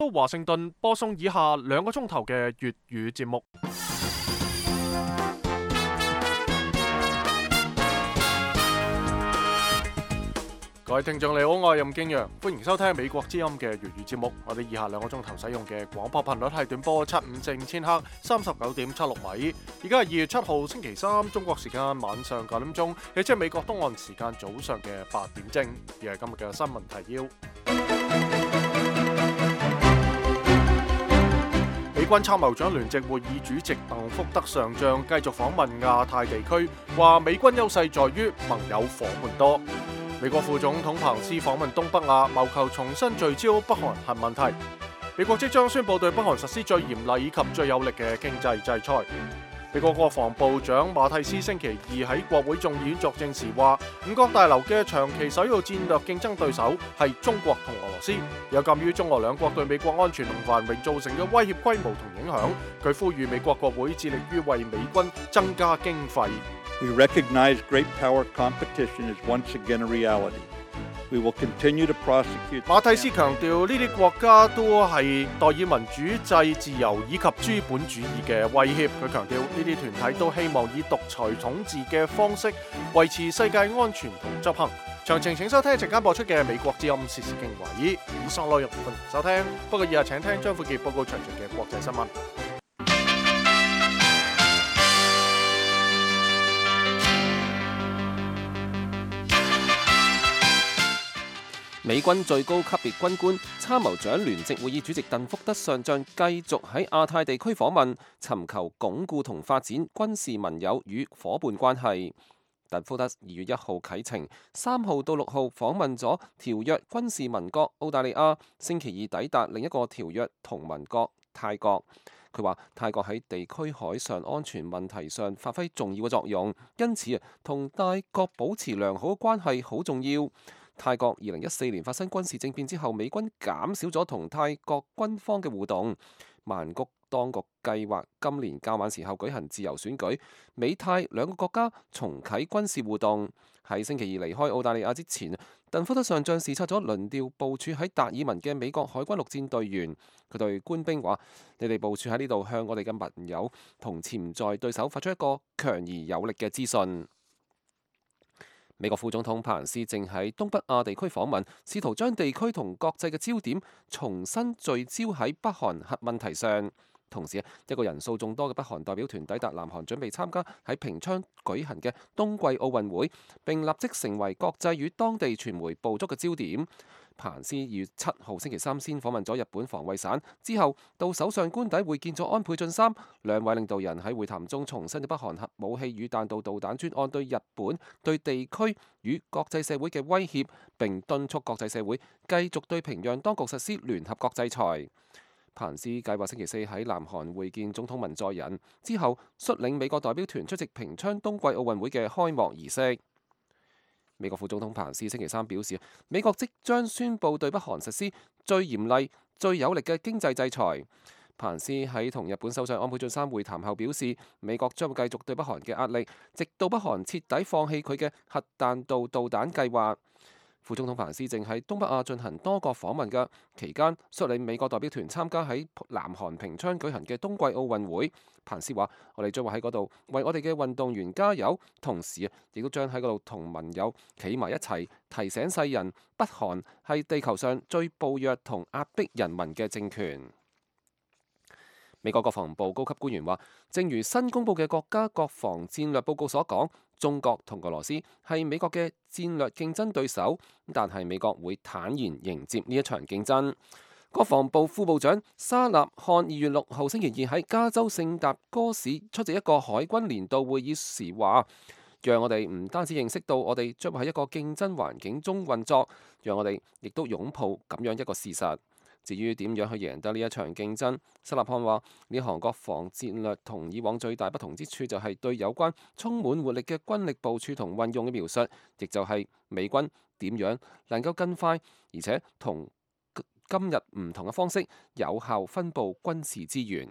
到華盛頓播送以下2個鐘頭嘅粵語節目。各位聽眾你好，我係任敬陽，歡迎收聽美國之音嘅粵語節目。我哋以下2個鐘頭使用嘅廣播頻率係短波754千赫39.76米。而家係2月7號星期三，中國時間晚上9點鐘，亦即係美國東岸時間早上嘅8點正。而係今日嘅新聞提要。美軍參謀長聯席會議主席鄧福德上將繼續訪問亞太地區，話美軍優勢在於盟友夥伴多。美國副總統彭斯訪問東北亞，謀求重新聚焦北韓核問題。美國即將宣布對北韓實施最嚴厲以及最有力嘅經濟制裁。美國國防部長馬蒂斯星期二喺國會眾議院作證時話，五角大樓嘅長期首要戰略競爭對手係中國同俄羅斯，有鑑於中俄兩國對美國安全同繁榮造成嘅威脅規模同影響，佢呼籲美國國會致力於為美軍增加經費。We recognize great power competition is once again a reality. We will continue to prosecute. 馬蒂斯強調，呢啲國家都係代以民主制、自由以及資本主義嘅威脅。佢強調，呢啲團體都希望以獨裁統治嘅方式維持世界安全同執行。詳情請收聽陣間播出嘅美國之音時事經華爾。以上內容歡迎收聽。不過以下請聽張富傑報告詳盡嘅國際新聞。美軍最高級別軍官參謀長聯席會議主席鄧福德上將繼續喺亞太地區訪問，尋求鞏固同發展軍事盟友與夥伴關係。鄧福德2月1號啟程，3號到6號訪問咗條約軍事盟國澳大利亞，星期二抵達另一個條約同盟國泰國。佢話泰國喺地區海上安全問題上發揮重要嘅作用，因此同大國保持良好嘅關係好重要。泰國2014年發生軍事政變之後，美軍減少咗同泰國軍方嘅互動。曼谷當局計劃今年較晚時候舉行自由選舉，美泰兩個國家重啟軍事互動。喺星期二離開澳大利亞之前，鄧福德上將視察咗輪調部署喺達爾文嘅美國海軍陸戰隊員。佢對官兵話：你哋部署喺呢度，向我哋嘅盟友同潛在對手發出一個強而有力嘅資訊。美國副總統彭斯正喺東北亞地區訪問，試圖將地區同國際嘅焦點重新聚焦喺北韓核問題上。同時，一個人數眾多嘅北韓代表團抵達南韓，準備參加喺平昌舉行嘅冬季奧運會，並立即成為國際與當地傳媒捕捉嘅焦點。彭斯2月7號星期三先訪問咗日本防衛省，之後到首相官邸會見咗安倍晉三。兩位領導人喺會談中重申咗北韓核武器與彈道導彈專案對日本、對地區與國際社會嘅威脅，並敦促國際社會繼續對平壤當局實施聯合國制裁。彭斯計劃星期4喺南韓會見總統文在寅，之後率領美國代表團出席平昌冬季奧運會嘅開幕儀式。美國副總統彭斯星期三表示，美國即將宣布對北韓實施最嚴厲、最有力嘅經濟制裁。彭斯喺同日本首相安倍晉三會談後表示，美國將會繼續對北韓嘅壓力，直到北韓徹底放棄佢嘅核彈道導彈計劃。副總統彭斯正喺東北亞進行多國訪問嘅期間，率領美國代表團參加喺南韓平昌舉行嘅冬季奧運會。彭斯話：我哋將會喺嗰度為我哋嘅運動員加油，同時亦都將喺嗰度同盟友企埋一齊，提醒世人北韓係地球上最暴虐同壓迫人民嘅政權。美國國防部高級官員話，正如新公佈嘅國家國防戰略報告所講，中國同俄羅斯係美國嘅戰略競爭對手，但係美國會坦然迎接呢一場競爭。國防部副部長沙納漢2月6號星期二喺加州聖達哥市出席一個海軍年度會議時話，讓我哋唔單止認識到我哋將會喺一個競爭環境中運作，讓我哋亦都擁抱咁樣一個事實。至於點樣去贏得呢一場競爭，沙納漢話：呢項國防戰略同以往最大不同之處就係對有關充滿活力嘅軍力部署同運用嘅描述，亦就係美軍點樣能夠更快，而且同今日唔同嘅方式有效分佈軍事資源。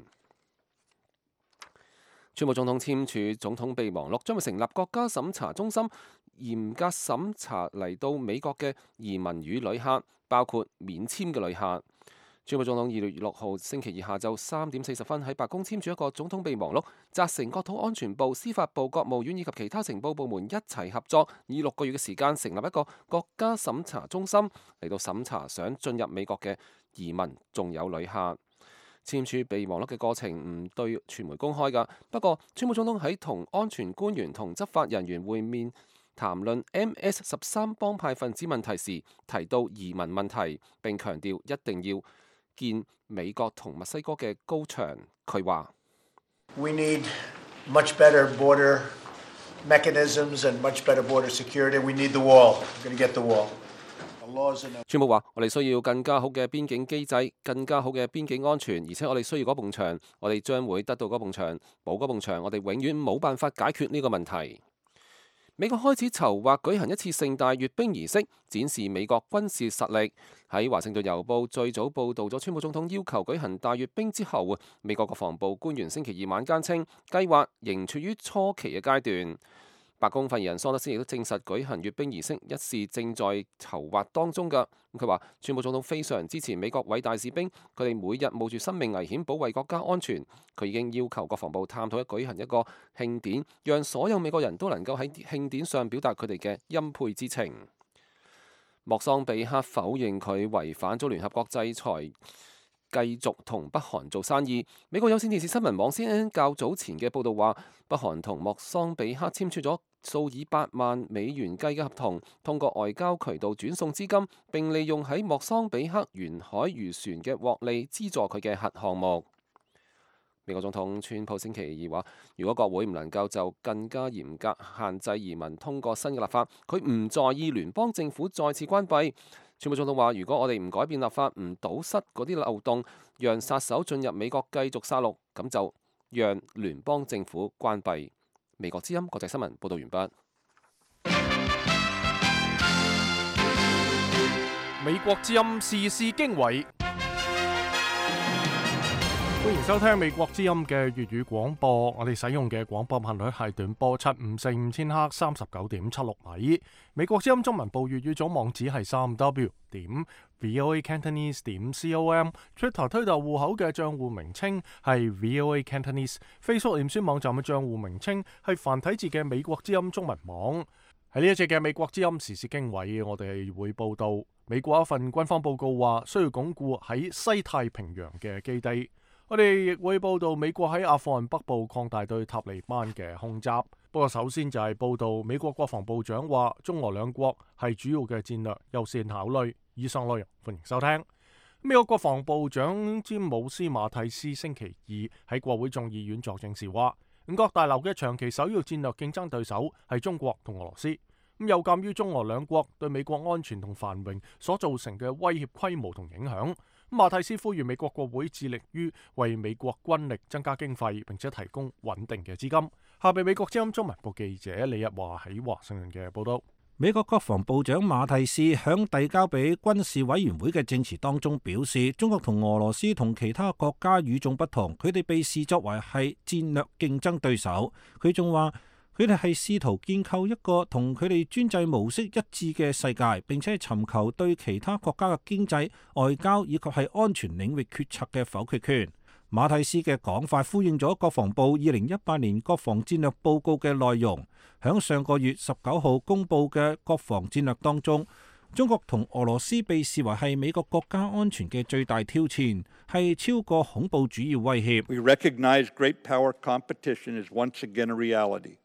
川普總統簽署總統備忘錄，將會成立國家審查中心，嚴格審查嚟到美國嘅移民與旅客，包括免簽嘅旅客。川普總統2月6號星期二下晝3點40分喺白宮簽署一個總統備忘錄，責成國土安全部、司法部、國務院以及其他情報部門一齊合作，以6個月嘅時間成立一個國家審查中心嚟到審查想進入美國嘅移民仲有旅客。簽署備忘錄嘅過程唔對傳媒公開㗎，不過川普總統喺同安全官員同執法人員會面談論 MS-13 幫派分子問題時，提到移民問題，並強調一定要建美國同墨西哥嘅高牆。佢話：We need much better border mechanisms and much better border security. We need the wall. We're going to get the wall. 川普話：我哋需要更加好嘅邊境機制，更加好嘅邊境安全，而且我哋需要嗰埲牆，我哋將會得到嗰埲牆，冇嗰埲牆，我哋永遠冇辦法解決呢個問題。美國開始籌劃舉行一次盛大閱兵儀式，展示美國軍事實力。喺華盛頓郵報最早報導咗川普總統要求舉行大閱兵之後，美國國防部官員星期二晚間稱，計劃仍處於初期嘅階段。白宮發言人桑德斯亦都證實舉行閱兵儀式一事正在籌劃當中㗎。佢話：川普總統非常支持美國偉大士兵，佢哋每日冒住生命危險保衛國家安全。佢已經要求國防部探討舉行一個慶典，讓所有美國人都能夠喺慶典上表達佢哋嘅欽佩之情。莫桑比克否認佢違反咗聯合國制裁，繼續同北韓做生意。美國有線電視新聞網 CNN 較早前嘅報導話，北韓同莫桑比克簽署咗數以百萬美元計嘅合同，通過外交渠道轉送資金，並利用喺莫桑比克沿海漁船嘅獲利資助佢嘅核項目。美國總統川普星期二話，如果國會唔能夠就更加嚴格限制移民通過新嘅立法，佢唔在意聯邦政府再次關閉。川普總統話：如果我哋唔改變立法，唔堵塞嗰啲漏洞，讓殺手進入美國繼續殺戮，咁就讓聯邦政府關閉。美國之音國際新聞報道完畢。美國之音時事經緯，歡迎收聽美國之音嘅粵語廣播。我哋使用嘅廣播頻率係短波7545000赫39.76米。美國之音中文部粵語總網址係3w.voacantonese.com。Twitter 推特戶口嘅賬戶名稱係 voacantonese。Facebook 臉書網站嘅賬戶名稱係繁體字嘅美國之音中文網。喺呢一節嘅美國之音時事經緯，我哋會報道美國一份軍方報告話需要鞏固喺西太平洋嘅基地。我哋亦會報道美國喺阿富汗北部擴大對塔利班嘅空襲。不過首先就係報道美國國防部長話中俄兩國係主要嘅戰略優先考慮。以上內容歡迎收聽。美國國防部長詹姆斯馬蒂斯星期二喺國會眾議院作證時話，五角大樓嘅長期首要戰略競爭對手係中國同俄羅斯。有鑑於中俄兩國對美國安全同繁榮所造成嘅威脅規模同影響，馬蒂斯呼籲美國國會致力於為美國軍力增加經費，並且提供穩定嘅資金。下邊美國之音中文部記者李日華喺華盛頓嘅報道。美國國防部長馬蒂斯響遞交俾軍事委員會嘅證詞當中表示，中國同俄羅斯同其他國家與眾不同，佢哋被視作為係戰略競爭對手。佢仲話，佢哋係試圖建構一個同佢哋專制模式一致嘅世界，並且尋求對其他國家嘅經濟、外交以及係安全領域決策嘅否決權。馬蒂斯嘅講法呼應咗國防部2018年國防戰略報告嘅內容。響上個月19號公布嘅國防戰略當中，中國同俄羅斯被視為係美國國家安全嘅最大挑戰，係超過恐怖主義威脅。We recognize great power competition is once again a reality.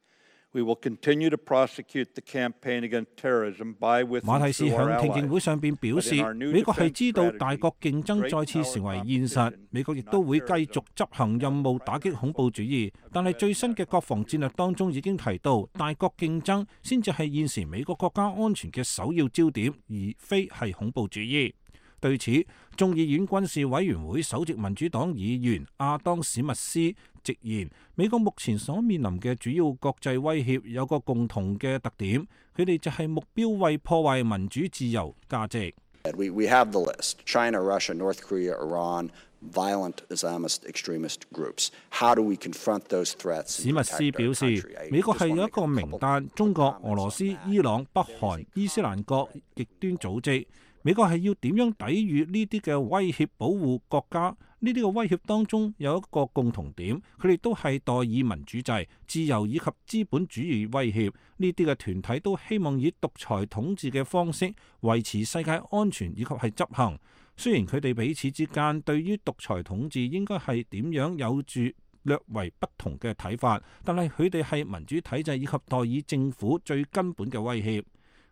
We will continue to prosecute the campaign against terrorism by with 馬蒂斯響聽證會上邊表示，美國係知道大國競爭再次成為現實，美國亦都會繼續執行任務打擊恐怖主義。但係最新嘅國防戰略當中已經提到，大國競爭先至係現時美國國家安全嘅首要焦點，而非係恐怖主義。對此，眾議院軍事委員會首席民主黨議員亞當史密斯直言，美國目前所面臨嘅主要國際威脅有個共同嘅特點，佢哋就係目標為破壞民主自由價值。We have the list: China, Russia, North Korea, Iran, violent Islamist extremist groups. How do we confront those threats? 史密斯表示，美國係有一個名單，中國、俄羅斯、伊朗、北韓、伊斯蘭國極端組織。美國係要點樣抵禦呢啲嘅威脅，保護國家？呢啲嘅威脅當中有一個共同點，佢哋都係代議民主制、自由以及資本主義威脅。呢啲嘅團體都希望以獨裁統治嘅方式維持世界安全以及係執行。雖然佢哋彼此之間對於獨裁統治應該係點樣有住略為不同嘅睇法，但係佢哋係民主體制以及代議政府最根本嘅威脅。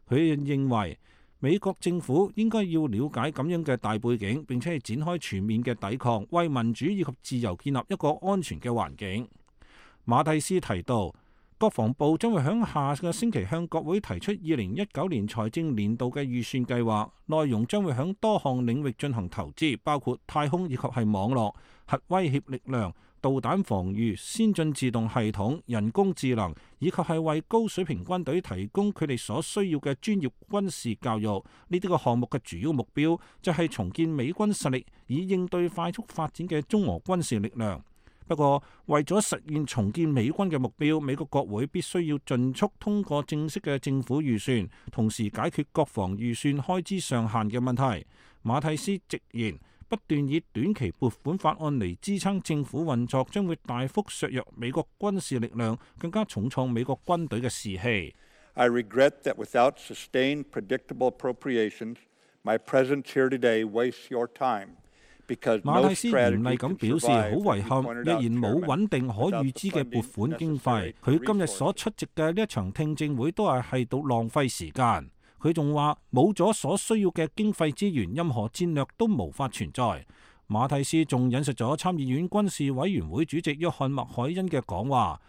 佢認為美國政府應該要了解咁樣嘅大背景，並且係展開全面嘅抵抗，為民主以及自由建立一個安全嘅環境。馬蒂斯提到，國防部將會喺下個星期向國會提出2019年財政年度嘅預算計劃，內容將會喺多項領域進行投資，包括太空以及係網絡、核威脅力量、導彈防禦、先進自動系統、人工智能，以及係為高水平軍隊提供佢哋所需要嘅專業軍事教育。呢啲個項目嘅主要目標就係重建美軍實力，以應對快速發展嘅中俄軍事力量。不過，為咗實現重建美軍嘅目標，美國國會必須要盡速通過正式嘅政府預算，同時解決國防預算開支上限嘅問題。馬蒂斯直言，不斷以短期撥款法案嚟支撐政府運作，將會大幅削弱美國軍事力量，更加重創美國軍隊嘅士氣。I regret that without sustained, predictable appropriations, my presence here today wastes your time. 馬蒂斯嚴厲咁表示，好遺憾，若然冇穩定可預知嘅撥款經費，佢今日所出席嘅呢一場聽證會都係到浪費時間。佢仲話冇咗所需要嘅經費資源，任何戰略都無法存在。馬蒂斯仲引述咗參議院軍事委員會主席約翰麥凱恩嘅講話，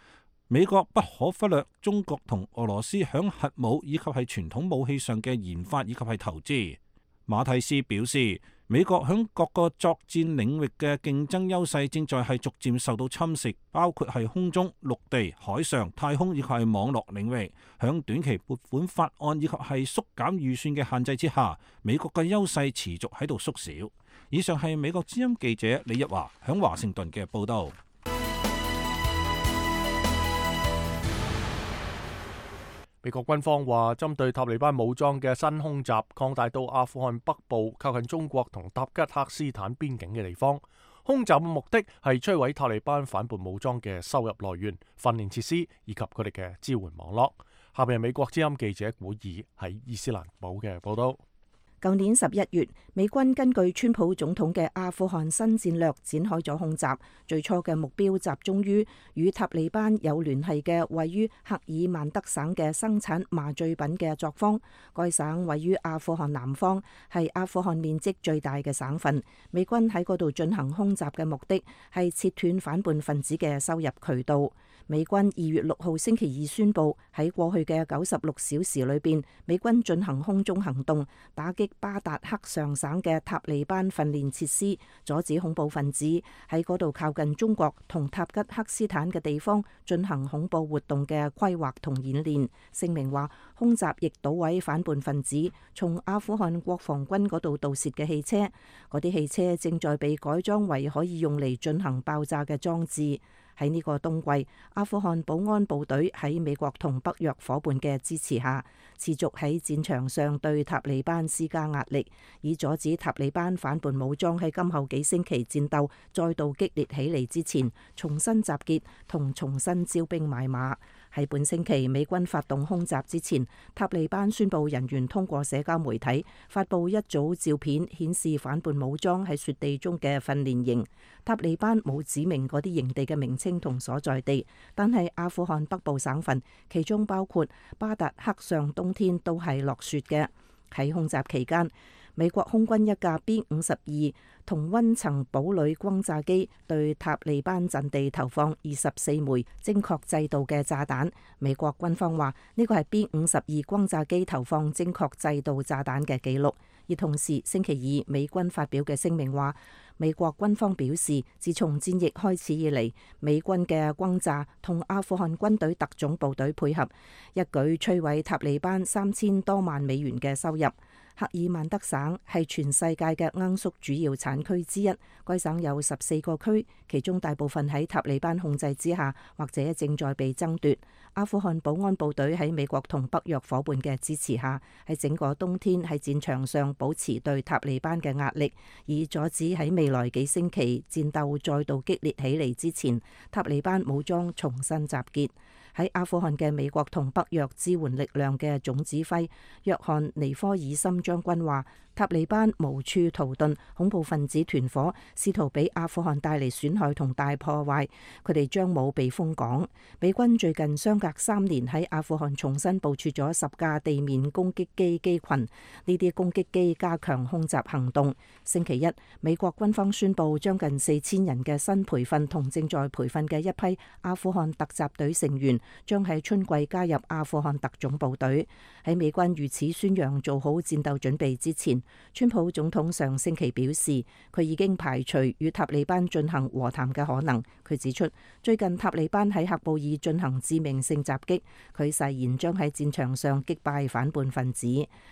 美國不可忽略中國同俄羅斯響核武以及係傳統武器上嘅研發以及係投資。馬蒂斯表示，美國響各個作戰領域嘅競爭優勢正在係逐漸受到侵蝕，包括係空中、陸地、海上、太空以及係網絡領域。響短期撥款法案以及係縮減預算嘅限制之下，美國嘅優勢持續喺度縮小。以上係美國之音記者李日華響華盛頓嘅報道。美國軍方話，針對塔利班武裝嘅新空襲擴大到阿富汗北部靠近中國同塔吉克斯坦邊境嘅地方。空襲嘅目的係摧毀塔利班反叛武裝嘅收入來源、訓練設施以及佢哋嘅支援網絡。下邊係美國之音記者古爾喺伊斯蘭堡嘅報道。舊年11月，美軍根據川普總統嘅阿富汗新戰略展開咗空襲，最初嘅目標集中於與塔利班有聯繫嘅位於赫爾曼德省嘅生產麻醉品嘅作坊。該省位於阿富汗南方，係阿富汗面積最大嘅省份。美軍喺嗰度進行空襲嘅目的係切斷反叛分子嘅收入渠道。美軍2月6號星期二宣布，喺過去嘅96小時裏邊，美軍進行空中行動，打擊巴達克上省嘅塔利班訓練設施，阻止恐怖分子喺嗰度靠近中國同塔吉克斯坦嘅地方進行恐怖活動嘅規劃同演練。聲明話，空襲亦搗毀反叛分子從阿富汗國防軍嗰度盜竊嘅汽車，嗰啲汽車正在被改裝為可以用嚟進行爆炸嘅裝置。喺呢個冬季，阿富汗保安部隊喺美國同北約夥伴嘅支持下，持續喺戰場上對塔利班施加壓力，以阻止塔利班反叛武裝喺今後幾星期戰鬥再度激烈起嚟之前，重新集結同重新招兵買馬。喺本星期美軍發動空襲之前，塔利班宣布人員通過社交媒體發布一組照片，顯示反叛武裝喺雪地中嘅訓練營。塔利班冇指明嗰啲營地嘅名稱同所在地，但係阿富汗北部省份，其中包括巴達克上，冬天都係落雪嘅。喺空襲期間，美國空軍一架 B-52同溫層堡壘轟炸機對塔利班陣地投放24枚精確制導嘅炸彈。美國軍方話呢個係 B-52轟炸機投放精確制導炸彈嘅記錄。而同時，星期二美軍發表嘅聲明話，美國軍方表示，自從戰役開始以嚟，美軍嘅轟炸同阿富汗軍隊特種部隊配合，一舉摧毀塔利班3000多萬美元嘅收入。赫爾曼德省係全世界嘅罌粟主要產區之一，該省有14個區，其中大部分喺塔利班控制之下，或者正在被爭奪。阿富汗保安部隊喺美國同北約伙伴嘅支持下，喺整個冬天喺戰場上保持對塔利班嘅壓力，以阻止喺未來幾星期戰鬥再度激烈起嚟之前，塔利班武裝重新集結。喺阿富汗嘅美國同北約支援力量嘅總指揮約翰尼科爾森將軍話，塔利班無處逃遁，恐怖分子團伙試圖俾阿富汗帶嚟損害同大破壞，佢哋將冇避風港。美軍最近相隔3年喺阿富汗重新部署咗10架地面攻擊機機群，呢啲攻擊機加強空襲行動。星期一，美國軍方宣布將近4000人嘅新培訓同正在培訓嘅一批阿富汗突襲隊成員將喺春季加入阿富汗特種部隊。喺美軍如此宣揚做好戰鬥準備之前，川普總統上星期表示，佢已經排除與塔利班進行和談嘅可能。佢指出，最近塔利班喺喀布爾進行致命性襲擊，佢誓言將喺戰場上擊敗反叛分子。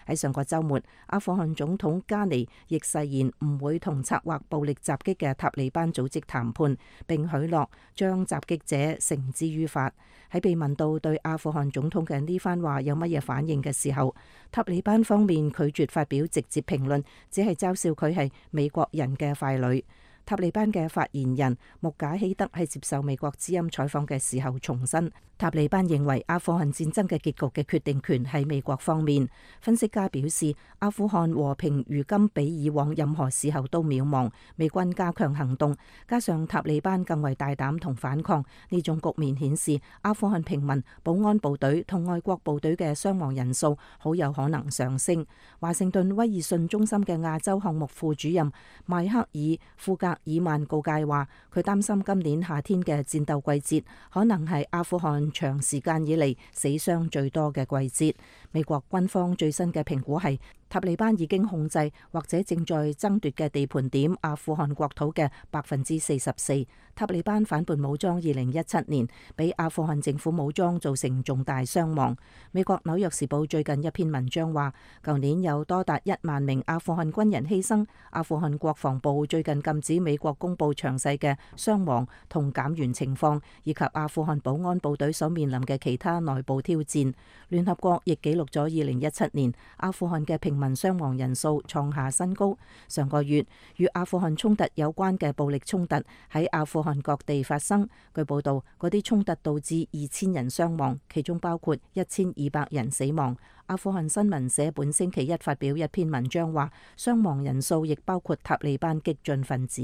喺上個週末，阿富汗總統加尼亦誓言唔會同策劃暴力襲擊嘅塔利班組織談判，並許諾將襲擊者繩之於法。喺被問到對阿富汗總統嘅呢番話有乜嘢反應嘅時候，塔利班方面拒絕發表直接評論，只係嘲笑佢係美國人嘅傀儡。塔利班嘅發言人穆賈希德喺接受美國之音採訪嘅時候重申，塔利班認為阿富汗戰爭嘅結局嘅決定權喺美國方面。分析家表示，阿富汗和平如今比以往任何時候都渺茫，美軍加強行動，加上塔利班更為大膽同反抗，呢種局面顯示阿富汗平民、保安部隊同外國部隊嘅傷亡人數好有可能上升。華盛頓威爾遜中心嘅亞洲項目副主任邁克爾·庫格爾曼告誡話，佢擔心今年夏天嘅戰鬥季節可能係阿富汗長時間以嚟死傷最多嘅季節。美國軍方最新嘅評估係，塔利班已經控制或者正在爭奪嘅地盤點阿富汗國土嘅44%。塔利班反叛武裝2017年俾阿富汗政府武裝造成重大傷亡。美國紐約時報最近一篇文章話，舊年有多達1萬名阿富汗軍人犧牲。阿富汗國防部最近禁止美國公布詳細嘅傷亡同減員情況，以及阿富汗保安部隊所面臨嘅其他內部挑戰。聯合國亦記錄咗2017年阿富汗嘅平民傷亡人數創下新高。上個月與阿富汗衝突有關嘅暴力衝突喺阿富汗各地發生。據報道，嗰啲衝突導致2000人傷亡，其中包括1200人死亡。阿富汗新聞社本星期一發表一篇文章話，傷亡人數亦包括塔利班激進分子。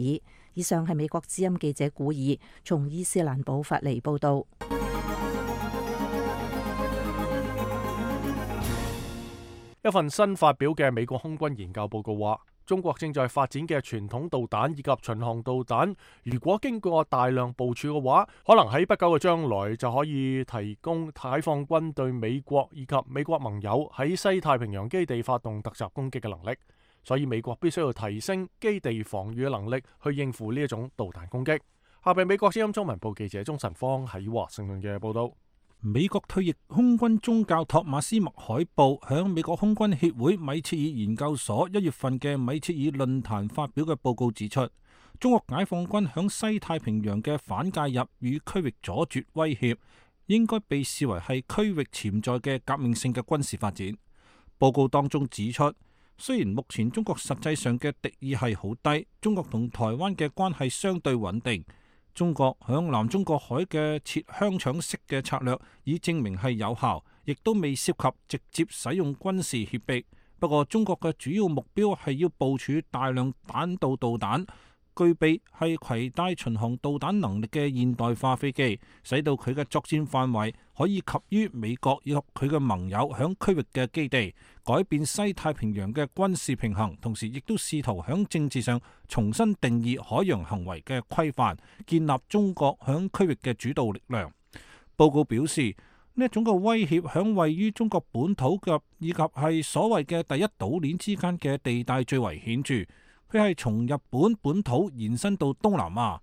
以上係美國之音記者古爾從伊斯蘭堡發嚟報道。一份新發表嘅美國空軍研究報告話，中國正在發展嘅傳統導彈以及巡航導彈，如果經過大量部署嘅話，可能喺不久嘅將來就可以提供解放軍對美國以及美國盟友喺西太平洋基地發動突襲攻擊嘅能力。所以美國必須要提升基地防禦嘅能力，去應付呢一種導彈攻擊。下邊美國之音中文部記者鍾晨芳喺華盛頓嘅報道。美國退役空軍中教托馬斯麥海布響美國空軍協會米切爾研究所1月份嘅米切爾論壇發表嘅報告指出，中國解放軍響西太平洋嘅反介入與區域阻絕威脅，應該被視為係區域潛在嘅革命性嘅軍事發展。報告當中指出，雖然目前中國實際上嘅敵意係好低，中國同台灣嘅關係相對穩定。中國響南中國海嘅切香腸式嘅策略已證明係有效，亦都未涉及直接使用軍事脅迫。不過中國嘅主要目標係要部署大量彈道導彈，具備係攜帶巡航導彈能力嘅現代化飛機，使到佢嘅作戰範圍可以及於美國以及佢嘅盟友響區域嘅基地，改變西太平洋嘅軍事平衡，同時亦都試圖響政治上重新定義海洋行為嘅規範，建立中國響區域嘅主導力量。報告表示，呢一種嘅威脅響位於中國本土嘅以及係所謂嘅第一島鏈之間嘅地帶最為顯著。佢係從日本本土延伸到東南亞。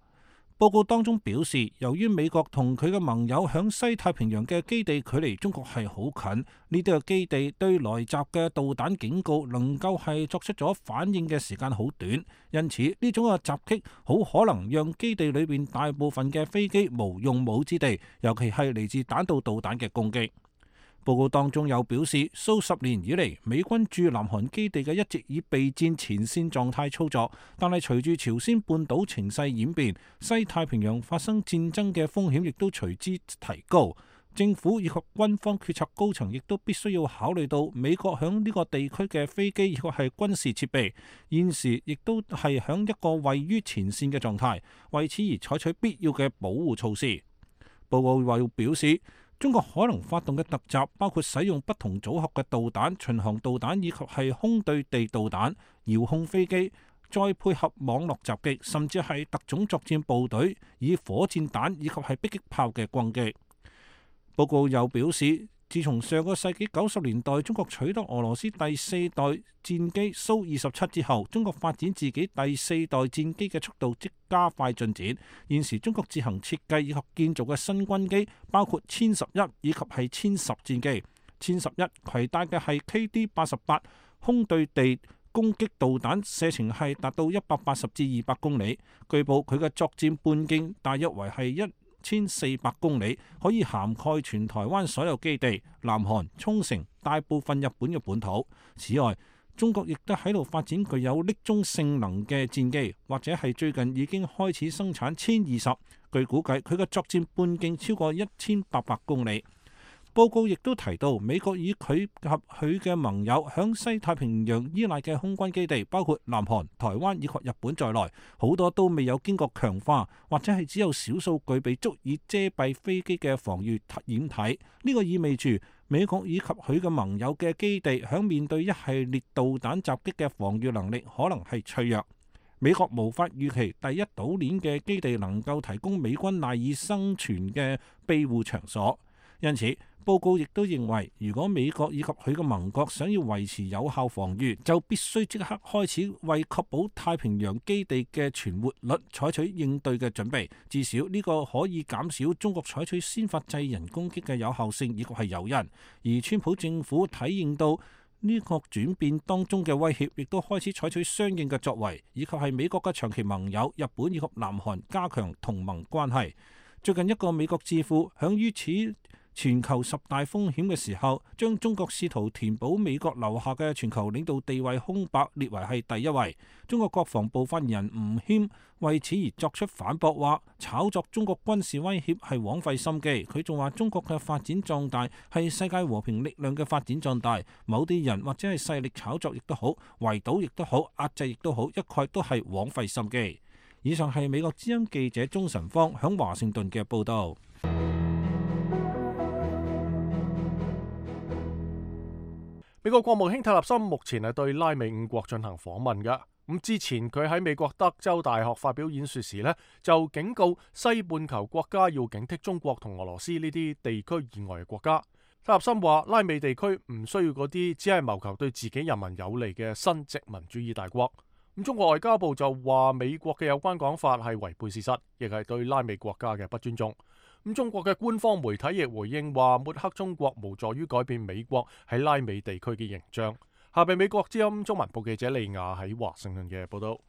報告當中表示，由於美國同佢嘅盟友響西太平洋嘅基地距離中國係好近，呢啲嘅基地對來襲嘅導彈警告能夠係作出咗反應嘅時間好短，因此呢種嘅襲擊好可能讓基地裏邊大部分嘅飛機無用武之地，尤其係嚟自彈道導彈嘅攻擊。報告當中又表示，數十年以嚟，美軍駐南韓基地嘅一直以備戰前線狀態操作，但係隨住朝鮮半島情勢演變，西太平洋發生戰爭嘅風險亦都隨之提高。政府以及軍方決策高層亦都必須要考慮到美國響呢個地區嘅飛機以及係軍事設備，現時亦都係響一個位於前線嘅狀態，為此而採取必要嘅保護措施。報告又表示，中國可能發動嘅突襲包括使用不同組合嘅導彈、巡航導彈以及係空對地導彈、遙控飛機，再配合網絡襲擊，甚至係特種作戰部隊以火箭彈以及係迫擊炮嘅攻擊。報告又表示，自從上個世紀90年代中國取得俄羅斯第4代戰機蘇27之後，中國發展自己第4代戰機嘅速度即加快進展。現時中國自行設計以及建造嘅新軍機包括殲11以及係殲10戰機。殲11攜帶嘅係 KD-88 空對地攻擊導彈，射程係達到180至200公里。據報佢嘅作戰半徑大約為係1400公里，可以涵蓋全台灣所有基地、南韓、沖繩、大部分日本嘅本土。此外，中國亦都喺度發展具有匿蹤性能嘅戰機，或者係最近已經開始生產殲20。據估計，佢嘅作戰半徑超過1800公里。報告亦都提到，美國以佢及佢嘅盟友響西太平洋依賴嘅空軍基地，包括南韓、台灣以及日本在內，好多都未有經過強化，或者係只有少數具備足以遮蔽飛機嘅防禦掩體。呢個意味住美國以及佢嘅盟友嘅基地響面對一系列導彈襲擊嘅防禦能力可能係脆弱。美國無法預期第一島鏈嘅基地能夠提供美軍賴以生存嘅庇護場所，因此報告亦都認為，如果美國以及佢嘅盟國想要維持有效防禦，就必須即刻開始為確保太平洋基地嘅存活率採取應對嘅準備。至少呢個可以減少中國採取先發制人攻擊嘅有效性以及係誘因。而川普政府體認到呢個轉變當中嘅威脅，亦都開始採取相應嘅作為，以及係美國嘅長期盟友日本以及南韓加強同盟關係。最近一個美國智庫響於此全球10大風險嘅時候，將中國試圖填補美國留下嘅全球領導地位空白列為係第一位。中國國防部發言人吳謙為此而作出反駁，話炒作中國軍事威脅係枉費心機。佢仲話中國嘅發展壯大係世界和平力量嘅發展壯大，某啲人或者係勢力炒作亦都好，圍堵亦都好，壓制亦都好，一概都係枉費心機。以上係美國之音記者鍾晨芳響華盛頓嘅報導。美國國務卿泰勒森目前係對拉美5國進行訪問嘅。咁之前佢喺美國德州大學發表演說時呢，就警告西半球國家要警惕中國同俄羅斯呢啲地區以外嘅國家。泰勒森話，拉美地區唔需要嗰啲只係謀求對自己人民有利嘅新殖民主義大國。咁中國外交部就話美國嘅有關講法係違背事實，亦係對拉美國家嘅不尊重。咁中國嘅官方媒體亦回應話，抹黑中國無助於改變美國喺拉美地區嘅形象。下邊美國之音中文部記者利亞喺華盛頓嘅報道。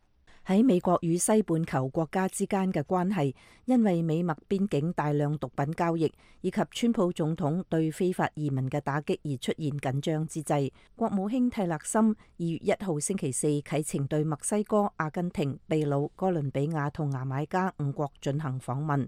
喺美國與西半球國家之間嘅關係，因為美墨邊境大量毒品交易以及川普總統對非法移民嘅打擊而出現緊張之際，國務卿蒂勒森2月1號星期四啟程對墨西哥、阿根廷、秘魯、哥倫比亞同牙買加5國進行訪問。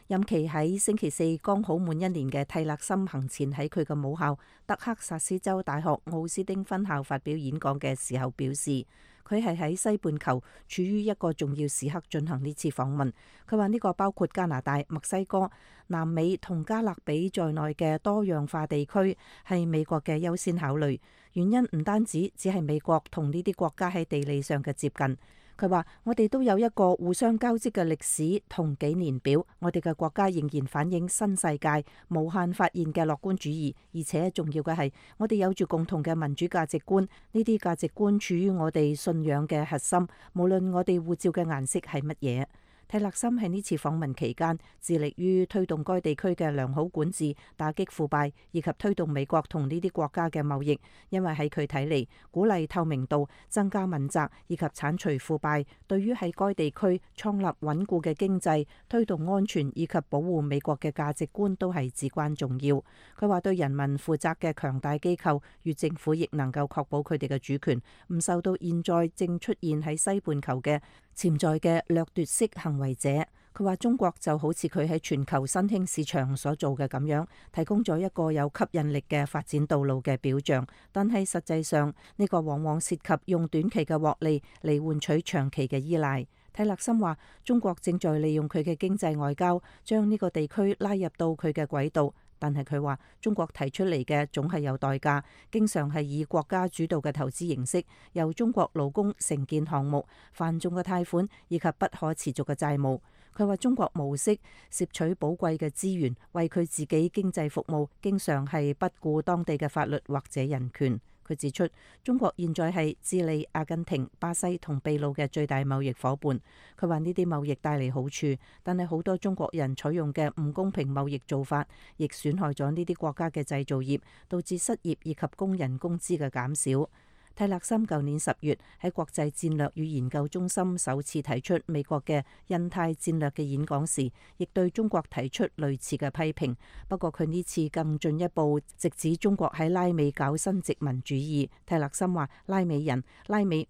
任期喺星期四剛好滿1年嘅蒂勒森行前喺佢嘅母校德克薩斯州大學奧斯丁分校發表演講嘅時候表示，佢係喺西半球處於一個重要時刻進行呢次訪問。佢話呢個包括加拿大、墨西哥、南美同加勒比在內嘅多樣化地區係美國嘅優先考慮，原因唔單止只係美國同呢啲國家喺地理上嘅接近。佢話：我哋都有一個互相交織嘅歷史同紀年表，我哋嘅國家仍然反映新世界無限發現嘅樂觀主義，而且重要嘅係我哋有住共同嘅民主價值觀，呢啲價值觀處於我哋信仰嘅核心，無論我哋護照嘅顏色係乜嘢。蒂勒森喺呢次訪問期間，致力於推動該地區嘅良好管治、打擊腐敗，以及推動美國同呢啲國家嘅貿易。因為喺佢睇嚟，鼓勵透明度、增加問責以及剷除腐敗，對於喺該地區創立穩固嘅經濟、推動安全以及保護美國嘅價值觀都係至關重要。佢話對人民負責嘅強大機構與政府亦能夠確保佢哋嘅主權，唔受到現在正出現喺西半球嘅潛在嘅掠奪式行為者。佢話中國就好似佢喺全球新興市場所做嘅咁樣，提供咗一個有吸引力嘅發展道路嘅表象，但係實際上呢個往往涉及用短期嘅獲利嚟換取長期嘅依賴。蒂勒森話中國正在利用佢嘅經濟外交，將呢個地區拉入到佢嘅軌道。但係佢話中國提出嚟嘅總係有代價，經常係以國家主導嘅投資形式，由中國勞工承建項目、繁重嘅貸款以及不可持續嘅債務。佢話中國模式攝取寶貴嘅資源，為佢自己經濟服務，經常係不顧當地嘅法律或者人權。佢指出，中國現在係智利、阿根廷、巴西同秘魯嘅最大貿易夥伴。佢話呢啲貿易帶嚟好處，但係好多中國人採用嘅唔公平貿易做法，亦損害咗呢啲國家嘅製造業，導致失業以及工人工資嘅減少。蒂勒森舊年10月喺國際戰略與研究中心首次提出美國嘅印太戰略嘅演講時，亦對中國提出類似嘅批評。不過佢呢次更進一步，直指中國喺拉美搞新殖民主義。蒂勒森話：拉美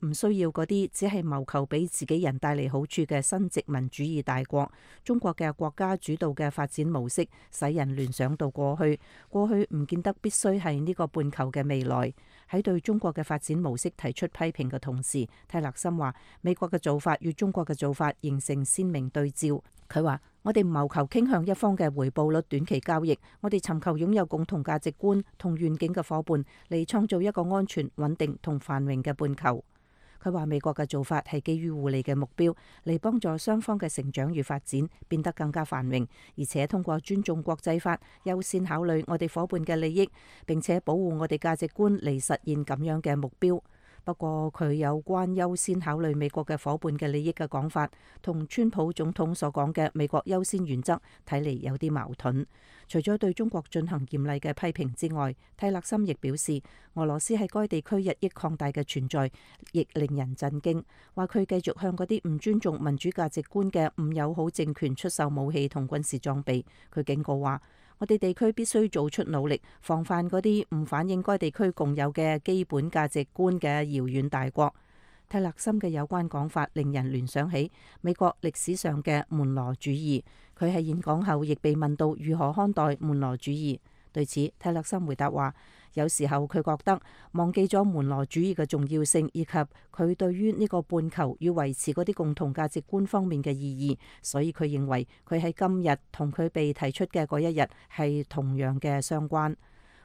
唔需要嗰啲只係謀求俾自己人帶嚟好處嘅新殖民主義大國。中國嘅國家主導嘅發展模式，使人聯想到過去唔見得必須係呢個半球嘅未來。喺對中國嘅發展模式提出批評嘅同時，蒂勒森話美國嘅做法與中國嘅做法形成鮮明對照。佢話：我哋唔謀求傾向一方嘅回報率短期交易，我哋尋求擁有共同價值觀同願景嘅夥伴，嚟創造一個安全、穩定同繁榮嘅半球。佢話美國嘅做法係基於互利嘅目標，嚟幫助雙方嘅成長與發展變得更加繁榮，而且通過尊重國際法，優先考慮我哋夥伴嘅利益，並且保護我哋價值觀嚟實現咁樣嘅目標。不過佢有關優先考慮美國嘅夥伴嘅利益嘅講法，同川普總統所講嘅美國優先原則睇嚟有啲矛盾。除咗對中國進行嚴厲嘅批評之外，蒂勒森亦表示，俄羅斯喺該地區日益擴大嘅存在，亦令人震驚。話佢繼續向嗰啲唔尊重民主價值觀嘅唔友好政權出售武器同軍事裝備。佢警告話：我哋地區必須做出努力，防範嗰啲唔反映該地區共有嘅基本價值觀嘅遙遠大國。蒂勒森嘅有關講法令人聯想起美國歷史上嘅門羅主義。佢喺演講後亦被問到如何看待門羅主義。對此，蒂勒森回答話：有時候佢覺得忘記咗門羅主義嘅重要性，以及佢對於呢個半球與維持嗰啲共同價值觀方面嘅意義，所以佢認為佢喺今日同佢被提出嘅嗰一日係同樣嘅相關。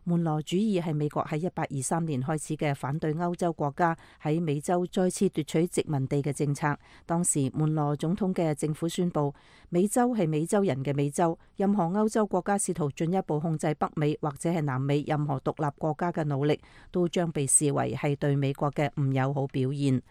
門羅主義係美國喺1823年開始嘅反對歐洲國家喺美洲再次奪取殖民地嘅政策。當時門羅總統嘅政府宣布，美洲係美洲人嘅美洲，任何歐洲國家試圖進一步控制北美或者係南美任何獨立國家嘅努力，都將被視為係對美國嘅唔友好表現。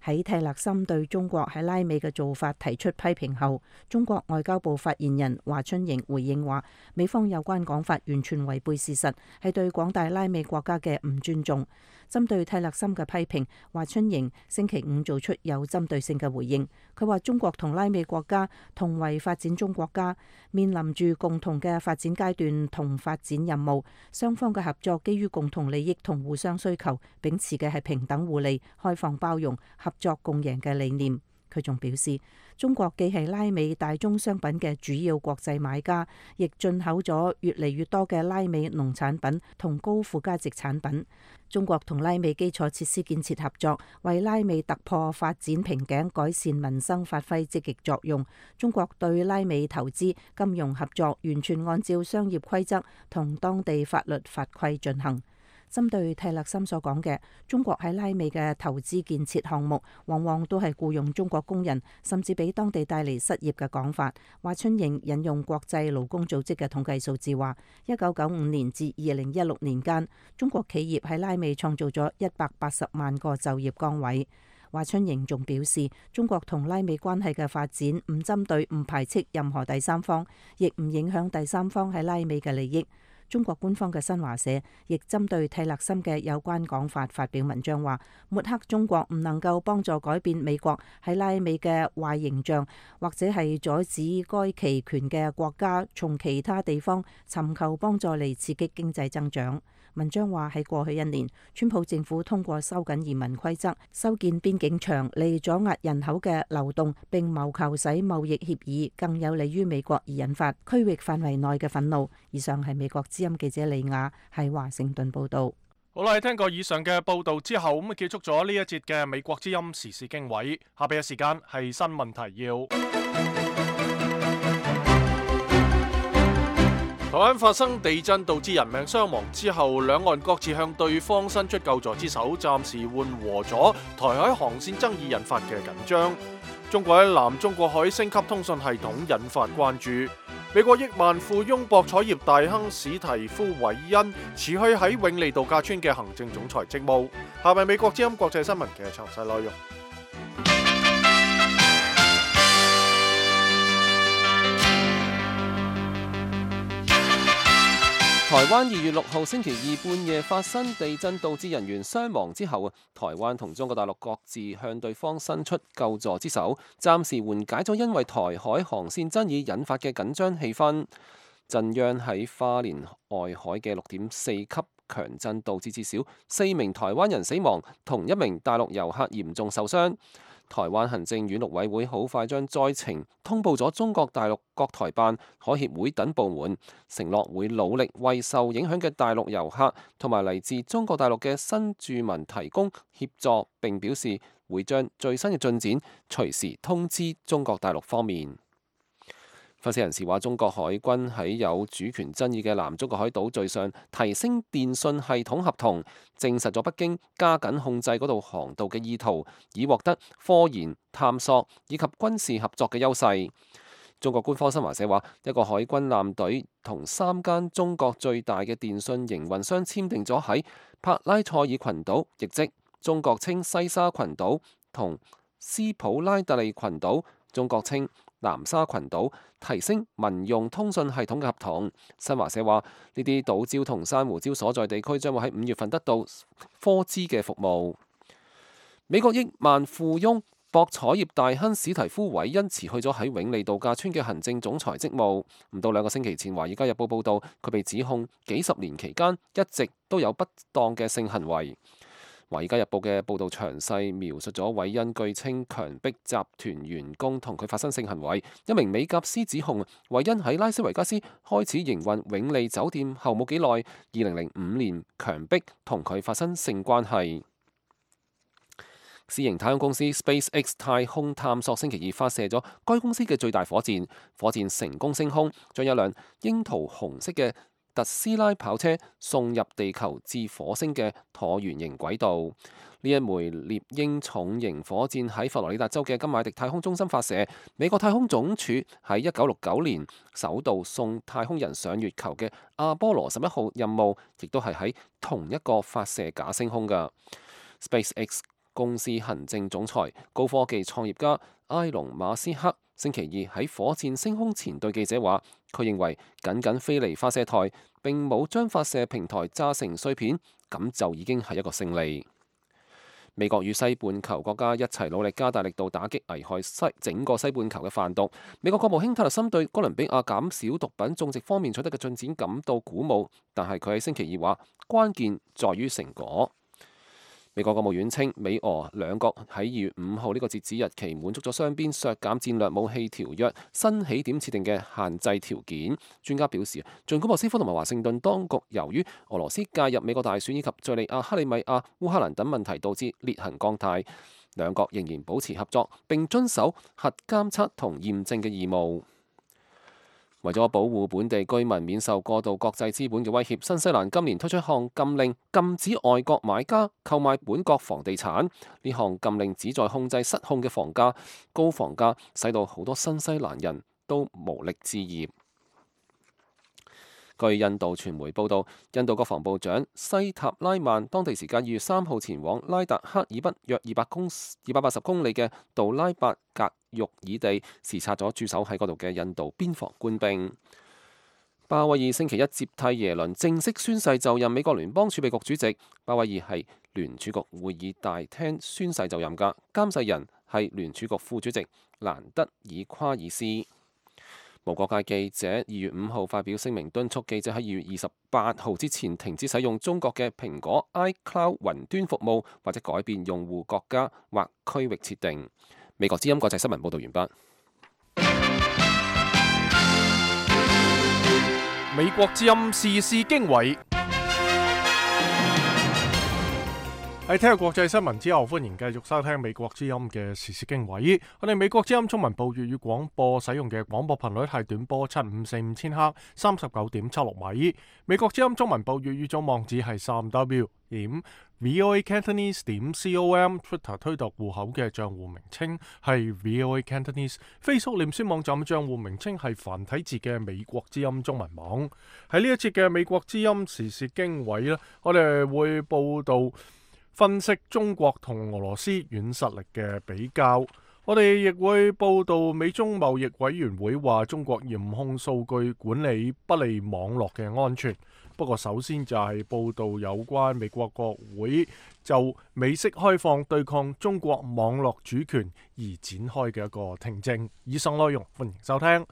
喺蒂勒森對中國喺拉美嘅做法提出批評後，中國外交部發言人華春瑩回應話：美方有關講法完全違背事實，係對廣大拉美國家嘅唔尊重。針對蒂勒森嘅批評，華春瑩星期五做出有針對性嘅回應。佢話中國同拉美國家同為發展中國家，面臨住共同嘅發展階段同發展任務，雙方嘅合作基於共同利益同互相需求，秉持嘅係平等互利、開放包容、合作共贏嘅理念。佢仲表示，中國既係拉美大宗商品嘅主要國際買家，亦進口咗越嚟越多嘅拉美農產品同高附加值產品。中國同拉美基礎設施建設合作，為拉美突破發展瓶頸、改善民生發揮積極作用。中國對拉美投資、金融合作完全按照商業規則同當地法律法規進行。針對蒂勒森所講嘅中國喺拉美嘅投資建設項目，往往都係僱用中國工人，甚至俾當地帶嚟失業嘅講法。華春瑩引用國際勞工組織嘅統計數字話，1995年至2016年間，中國企業喺拉美創造咗180萬個就業崗位。華春瑩仲表示，中國同拉美關係嘅發展唔針對、唔排斥任何第三方，亦唔影響第三方喺拉美嘅利益。中國官方嘅新華社亦針對蒂勒森嘅有關講法發表文章，話抹黑中國唔能夠幫助改變美國喺拉美嘅壞形象，或者係阻止該期權嘅國家從其他地方尋求幫助嚟刺激經濟增長。文章話喺過去1年，川普政府通過收緊移民規則、修建邊境牆嚟阻壓人口嘅流動，並謀求使貿易協議更有利於美國，而引發區域範圍內嘅憤怒。以上係美國之音記者李雅喺華盛頓報道。好啦，聽過以上嘅報道之後，咁結束咗呢一節嘅美國之音時事經緯。下邊嘅時間係新聞提要。台灣發生地震導致人命傷亡之後，兩岸各自向對方伸出救助之手，暫時緩和咗台海航線爭議引發嘅緊張。中國喺南中國海升級通訊系統引發關注。美國億萬富翁博彩業大亨史提夫韋恩辭去喺永利度假村嘅行政總裁職務。下面美國之音國際新聞嘅詳細內容。台灣2月6號星期二半夜發生地震，導致人員傷亡之後，台灣同中國大陸各自向對方伸出救助之手，暫時緩解咗因為台海航線爭議引發嘅緊張氣氛。震央喺花蓮外海嘅6.4級強震，導致至少4名台灣人死亡，同1名大陸遊客嚴重受傷。台灣行政院陸委會好快將災情通報咗中國大陸各台辦、海協會等部門，承諾會努力為受影響嘅大陸遊客同埋嚟自中國大陸嘅新住民提供協助，並表示會將最新嘅進展隨時通知中國大陸方面。分析人士話，中國海軍喺有主權爭議嘅南中國海島嶼上提升電信系統合同，證實咗北京加緊控制嗰度航道嘅意圖，以獲得科研、探索以及軍事合作嘅優勢。中國官方新華社話，一個海軍艦隊同3間中國最大嘅電信營運商簽訂咗喺帕拉塞爾群島，亦即中國稱西沙群島同斯普拉特利群島，中國稱南沙群島提升民用通訊系統嘅合同。新華社話，呢啲島礁同珊瑚礁所在地區將會喺5月份得到科資嘅服務。美國億萬富翁博彩業大亨史提夫韋恩辭去咗喺永利度假村嘅行政總裁職務。唔到2個星期前，《華爾街日報》報道，佢被指控幾十年期間一直都有不當嘅性行為。《華爾街日報》嘅報導詳細描述咗韋恩據稱強迫集團員工同佢發生性行為。一名美甲師指控韋恩喺拉斯維加斯開始營運永利酒店後冇幾耐，2005年強迫同佢發生性關係。私營太空公司 SpaceX 太空探索星期二發射咗該公司嘅最大火箭，火箭成功升空，將一輛櫻桃紅色嘅特斯拉跑車送入地球至火星嘅橢圓形軌道。呢一枚獵鷹重型火箭喺佛羅里達州嘅金馬迪太空中心發射。美國太空總署喺1969年首度送太空人上月球嘅阿波羅11號任務，亦都係喺同一個發射架升空㗎。SpaceX 公司行政總裁、高科技創業家埃隆馬斯克星期二喺火箭升空前對記者話，佢認為僅僅飛離發射台並冇將發射平台炸成碎片，咁就已經係一個勝利。美國與西半球國家一齊努力加大力度打擊危害整個西半球嘅販毒。美國國務卿泰勒森對哥倫比亞減少毒品種植方面取得嘅進展感到鼓舞，但係佢喺星期二話，關鍵在於成果。美國國務院稱，美俄兩國喺2月5號呢個截止日期滿足咗雙邊削減戰略武器條約新起點設定嘅限制條件。專家表示，儘管莫斯科同埋華盛頓當局由於俄羅斯介入美國大選以及敘利亞、克里米亞、烏克蘭等問題導致裂痕降態，兩國仍然保持合作並遵守核監測同驗證嘅義務。為咗保護本地居民免受過度國際資本嘅威脅，新西蘭今年推出一項禁令，禁止外國買家購買本國房地產。呢項禁令旨在控制失控嘅房價，高房價使到好多新西蘭人都無力置業。據印度傳媒報道，印度國防部長西塔拉曼當地時間2月3號前往拉達克以北約280公里嘅杜拉伯格育爾地視察咗駐守喺嗰度嘅印度邊防官兵。鮑威爾星期一接替耶倫正式宣誓就任美國聯邦儲備局主席。鮑威爾係聯儲局會議大廳宣誓就任㗎，監誓人係聯儲局副主席蘭德爾夸爾斯。無國界記者2月5號發表聲明，敦促記者喺2月28號之前停止使用中國嘅蘋果 iCloud 雲端服務，或者改變用戶國家或區域設定。美國之音國際新聞報導完畢。美國之音時事經緯。喺聽日國際新聞之後，歡迎繼續收聽美國之音嘅時事經緯。我哋美國之音中文部粵語廣播使用嘅廣播頻率係短波7545千赫39.76米。美國之音中文部粵語總網址係3w.voacantonese.com。Twitter 推特戶口嘅賬戶名稱係 voacantonese。Facebook 臉書網站嘅賬戶名稱係繁體字嘅美國之音中文網。喺呢一節嘅美國之音時事經緯呢，我哋會報道分析中國同俄羅斯軟實力嘅比較，我哋亦會報道美中貿易委員會話中國嚴控數據管理不利網絡嘅安全。不過首先就係報道有關美國國會就美式開放對抗中國網絡主權而展開嘅一個聽證。以上內容歡迎收聽。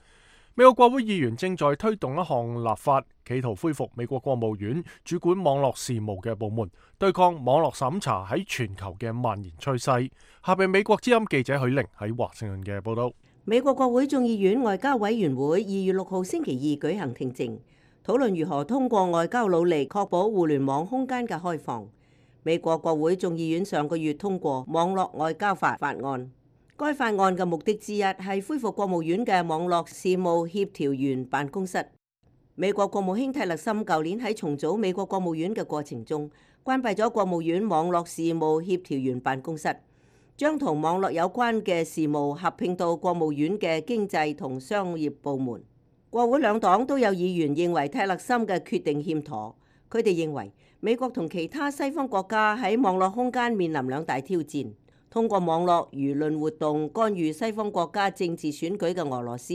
美國國會議員正在推動一項立法，企圖恢復美國國務院主管網絡事務嘅部門，對抗網絡審查喺全球嘅蔓延趨勢。下邊美國之音記者許玲喺華盛頓嘅報道。美國國會眾議院外交委員會2月6號星期二舉行聽證，討論如何通過外交努力確保互聯網空間嘅開放。美國國會眾議院上個月通過網絡外交法案。該法案嘅目的之一係恢復國務院嘅網絡事務協調員辦公室。美國國務卿蒂勒森舊年喺重組美國國務院嘅過程中，關閉咗國務院網絡事務協調員辦公室，將同網絡有關嘅事務合併到國務院嘅經濟同商業部門。國會兩黨都有議員認為蒂勒森嘅決定欠妥，佢哋認為美國同其他西方國家喺網絡空間面臨兩大挑戰。通過網絡輿論活動干預西方國家政治選舉嘅俄羅斯，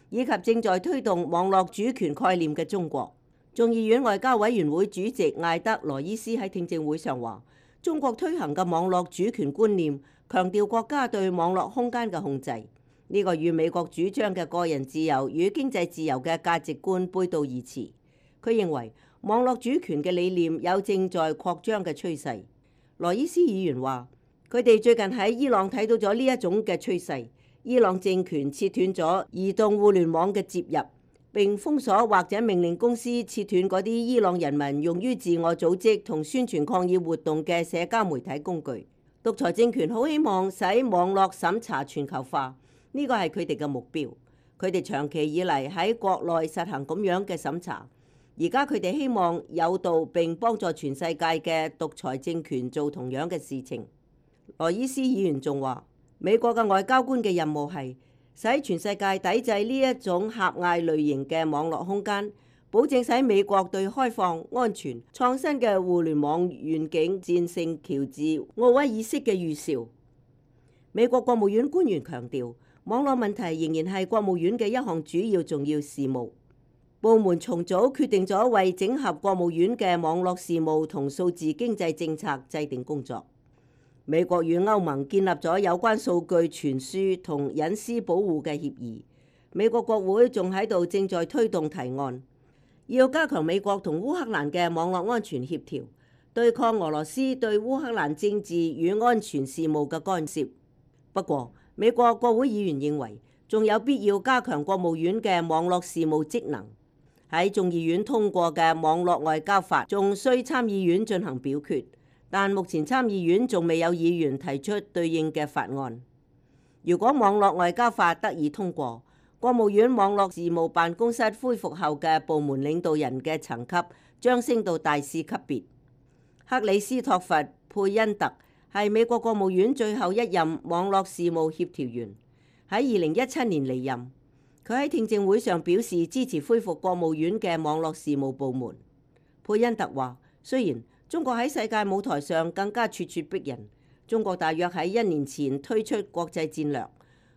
以及正在推動網絡主權概念嘅中國。眾議院外交委員會主席艾德羅伊斯喺聽證會上話，中國推行嘅網絡主權觀念強調國家對網絡空間嘅控制，呢個與美國主張嘅個人自由與經濟自由嘅價值觀背道而馳。佢認為網絡主權嘅理念有正在擴張嘅趨勢。羅伊斯議員話，佢哋最近喺伊朗睇到咗呢一種嘅趨勢。伊朗政權切斷咗移動互聯網嘅接入，並封鎖或者命令公司切斷嗰啲伊朗人民用於自我組織同宣傳抗議活動嘅社交媒體工具。獨裁政權好希望使網絡審查全球化，呢個係佢哋嘅目標。佢哋長期以嚟喺國內實行咁樣嘅審查，而家佢哋希望誘導並幫助全世界嘅獨裁政權做同樣嘅事情。羅伊斯議員仲話，美國嘅外交官嘅任務係使全世界抵制呢一種狹隘類型嘅網絡空間，保證使美國對開放、安全、創新嘅互聯網願景戰勝喬治奧威爾式嘅預兆。美國國務院官員強調，網絡問題仍然係國務院嘅一項主要重要事務。部門重組決定咗為整合國務院嘅網絡事務同數字經濟政策制定工作。美國與歐盟建立咗有關數據傳輸同隱私保護嘅協議。美國國會仲喺度正在推動提案，要加強美國同烏克蘭嘅網絡安全協調，對抗俄羅斯對烏克蘭政治與安全事務嘅干涉。不過，美國國會議員認為，仲有必要加強國務院嘅網絡事務職能。喺眾議院通過嘅網絡外交法仲需參議院進行表決。但目前參議院仲未有議員提出對應嘅法案。如果網絡外交法得以通過，國務院網絡事務辦公室恢復後嘅部門領導人嘅層級將升到大使級別。克里斯托弗·佩恩特係美國國務院最後一任網絡事務協調員，喺2017年離任。佢喺聽證會上表示支持恢復國務院嘅網絡事務部門。佩恩特話：雖然中國喺世界舞台上更加咄咄逼人，中國大約喺1年前推出國際戰略，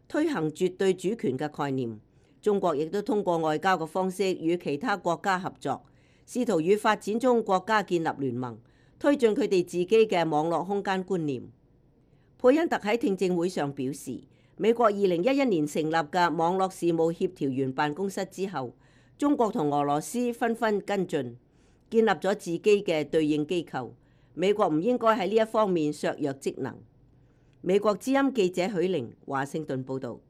推行絕對主權嘅概念。中國亦都通過外交嘅方式與其他國家合作，試圖與發展中國家建立聯盟，推進佢哋自己嘅網絡空間觀念。佩恩特喺聽證會上表示，美國2011年成立嘅網絡事務協調員辦公室之後，中國同俄羅斯紛紛跟進，建立咗自己嘅對應機構。美國唔應該喺呢一方面削弱職能。美國之音記者許玲華盛頓報導。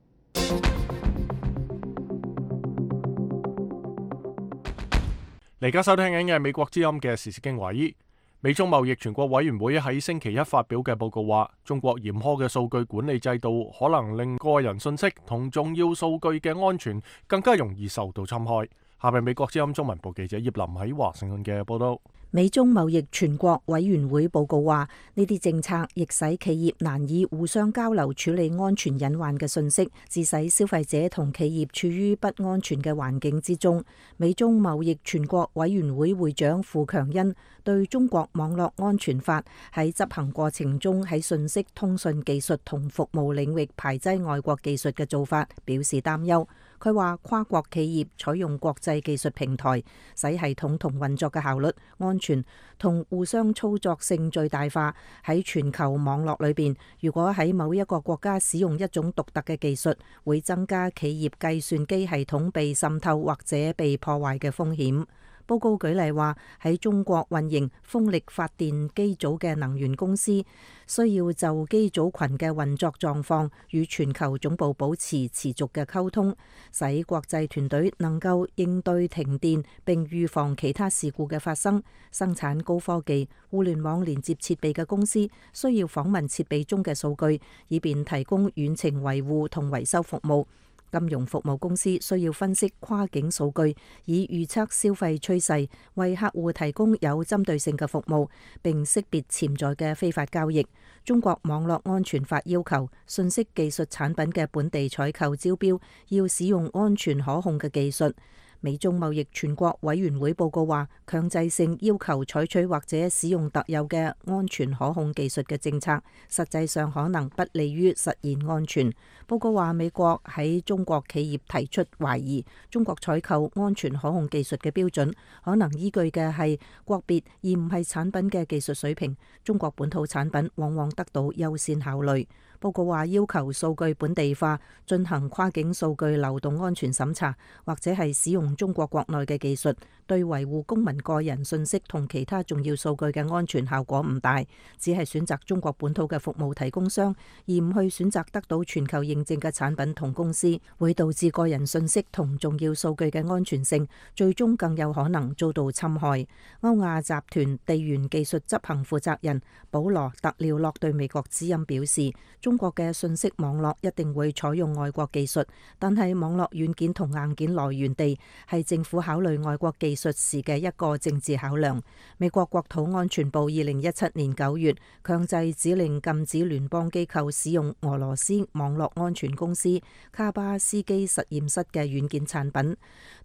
而家收聽緊嘅係美國之音嘅時事經緯。美中貿易全國委員會喺星期一發表嘅報告話，中國嚴苛嘅數據管理制度可能令個人信息同重要數據嘅安全更加容易受到侵害。下面美國之音中文部記者葉林喺華盛頓嘅報道。美中貿易全國委員會報告話，呢啲政策亦使企業難以互相交流處理安全隱患嘅信息，致使消費者同企業處於不安全嘅環境之中。美中貿易全國委員會會長傅強恩對中國網絡安全法喺執行過程中喺信息通訊技術同服務領域排擠外國技術嘅做法表示擔憂。佢話跨國企業採用國際技術平台，使系統同運作嘅效率、安全同互相操作性最大化。喺全球網絡裏邊，如果喺某一個國家使用一種獨特嘅技術，會增加企業計算機系統被滲透或者被破壞嘅風險。報告舉例話，喺中國運營風力發電機組嘅能源公司需要就機組群嘅運作狀況與全球總部保持持續嘅溝通，使國際團隊能夠應對停電並預防其他事故嘅發生。生產高科技互聯網連接設備嘅公司需要訪問設備中嘅數據，以便提供遠程維護同維修服務。金融服務公司需要分析跨境數據，以預測消費趨勢，為客戶提供有針對性嘅服務，並識別潛在嘅非法交易。中國網絡安全法要求信息技術產品嘅本地採購招標要使用安全可控嘅技術。美中貿易全國委員會報告話，強制性要求採取或者使用特有嘅安全可控技術嘅政策，實際上可能不利於實現安全。報告話，美國喺中國企業提出懷疑，中國採購安全可控技術嘅標準可能依據嘅係國別而唔係產品嘅技術水平。中國本土產品往往得到優先考慮。報告話，要求數據本地化，進行跨境數據流動安全審查，或者係使用中國國內嘅技術，對維護公民個人信息同其他重要數據嘅安全效果唔大，只係選擇中國本土嘅服務提供商，而唔去選擇得到全球認證嘅產品同公司，會導致個人信息同重要數據嘅安全性最終更有可能遭到侵害。歐亞集團地緣技術執行負責人保羅特廖洛對美國之音表示，中國嘅信息網絡一定會採用外國技術，但係網絡軟件同硬件來源地係政府考慮外國技術時嘅一個政治考量。美國國土安全部2017年9月強制指令禁止聯邦機構使用俄羅斯網絡安全公司卡巴斯基實驗室嘅軟件產品，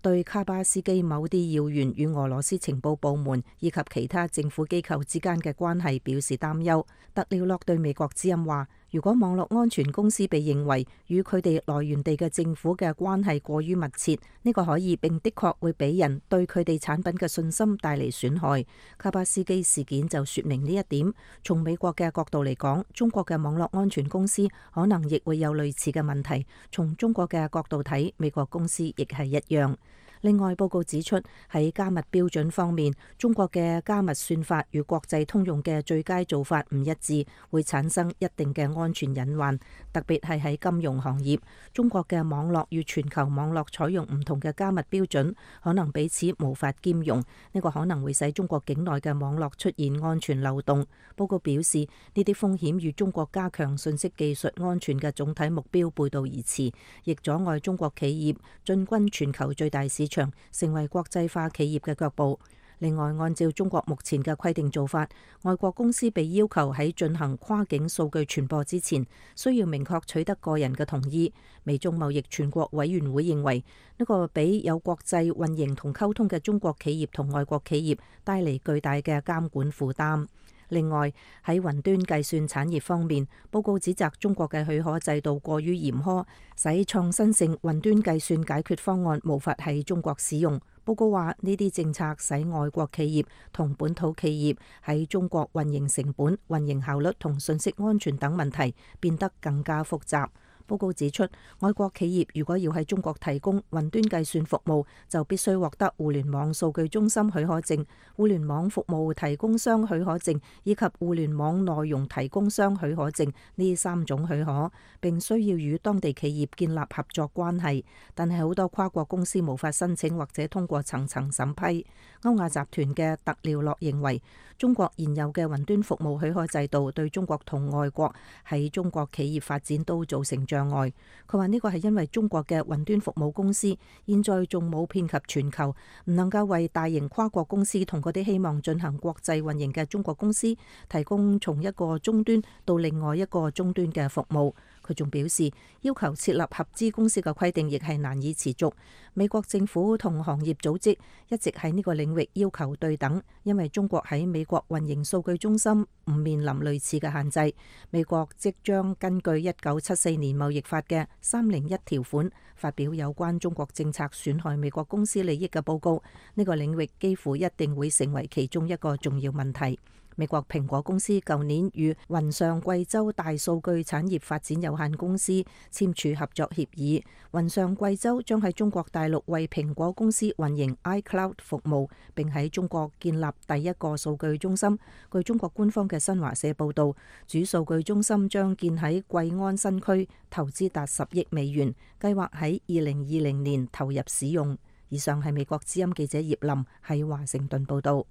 對卡巴斯基某啲要員與俄羅斯情報部門以及其他政府機構之間嘅關係表示擔憂。特廖洛對美國之音話，如果網絡安全公司被認為與佢哋來源地嘅政府嘅關係過於密切，呢個可以並的確會俾人對佢哋產品嘅信心帶嚟損害。卡巴斯基事件就說明呢一點。從美國嘅角度嚟講，中國嘅網絡安全公司可能亦會有類似嘅問題。從中國嘅角度睇，美國公司亦係一樣。另外，報告指出，喺加密標準方面，中國嘅加密算法與國際通用嘅最佳做法唔一致，會產生一定嘅安全隱患。特別係喺金融行業，中國嘅網絡與全球網絡採用唔同嘅加密標準，可能彼此無法兼容。呢個可能會使中國境內嘅網絡出現安全漏洞。報告表示，呢啲風險與中國加強信息技術安全嘅總體目標背道而馳，亦阻礙中國企業進軍全球最大市場，成為國際化企業嘅腳步。另外，按照中國目前嘅規定做法，外國公司被要求喺進行跨境數據傳播之前，需要明確取得個人嘅同意。美中貿易全國委員會認為呢個俾有國際運營同溝通嘅中國企業同外國企業帶嚟巨大嘅監管負擔。另外，喺雲端計算產業方面，報告指責中國嘅許可制度過於嚴苛，使創新性雲端計算解決方案無法喺中國使用。報告話呢啲政策使外國企業同本土企業喺中國運營成本、運營效率同信息安全等問題變得更加複雜。報告指出，外國企業如果要喺中國提供雲端計算服務，就必須獲得互聯網數據中心許可證、互聯網服務提供商許可證以及互聯網內容提供商許可證呢3種許可，並需要與當地企業建立合作關係。但係好多跨國公司無法申請或者通過層層審批。歐亞集團嘅特廖洛認為，中國現有嘅雲端服務許可制度對中國同外國喺中國企業發展都造成障礙。佢話呢個係因為中國嘅雲端服務公司現在仲冇遍及全球，唔能夠為大型跨國公司同嗰啲希望進行國際運營嘅中國公司提供從一個終端到另外一個終端嘅服務。佢仲表示，要求設立合資公司嘅規定亦係難以持續。美國政府同行業組織一直喺呢個領域要求對等，因為中國喺美國運營數據中心唔面臨類似嘅限制。美國即將根據1974年貿易法嘅301條款發表有關中國政策損害美國公司利益嘅報告，呢個領域幾乎一定會成為其中一個重要問題。美國蘋果公司舊年與雲上貴州大數據產業發展有限公司簽署合作協議，雲上貴州將喺中國大陸為蘋果公司運營 iCloud 服務，並喺中國建立第一個數據中心。據中國官方嘅新華社報導，主數據中心將建喺貴安新區，投資達10億美元，計劃喺2020年投入使用。以上係美國之音記者葉林喺華盛頓報導。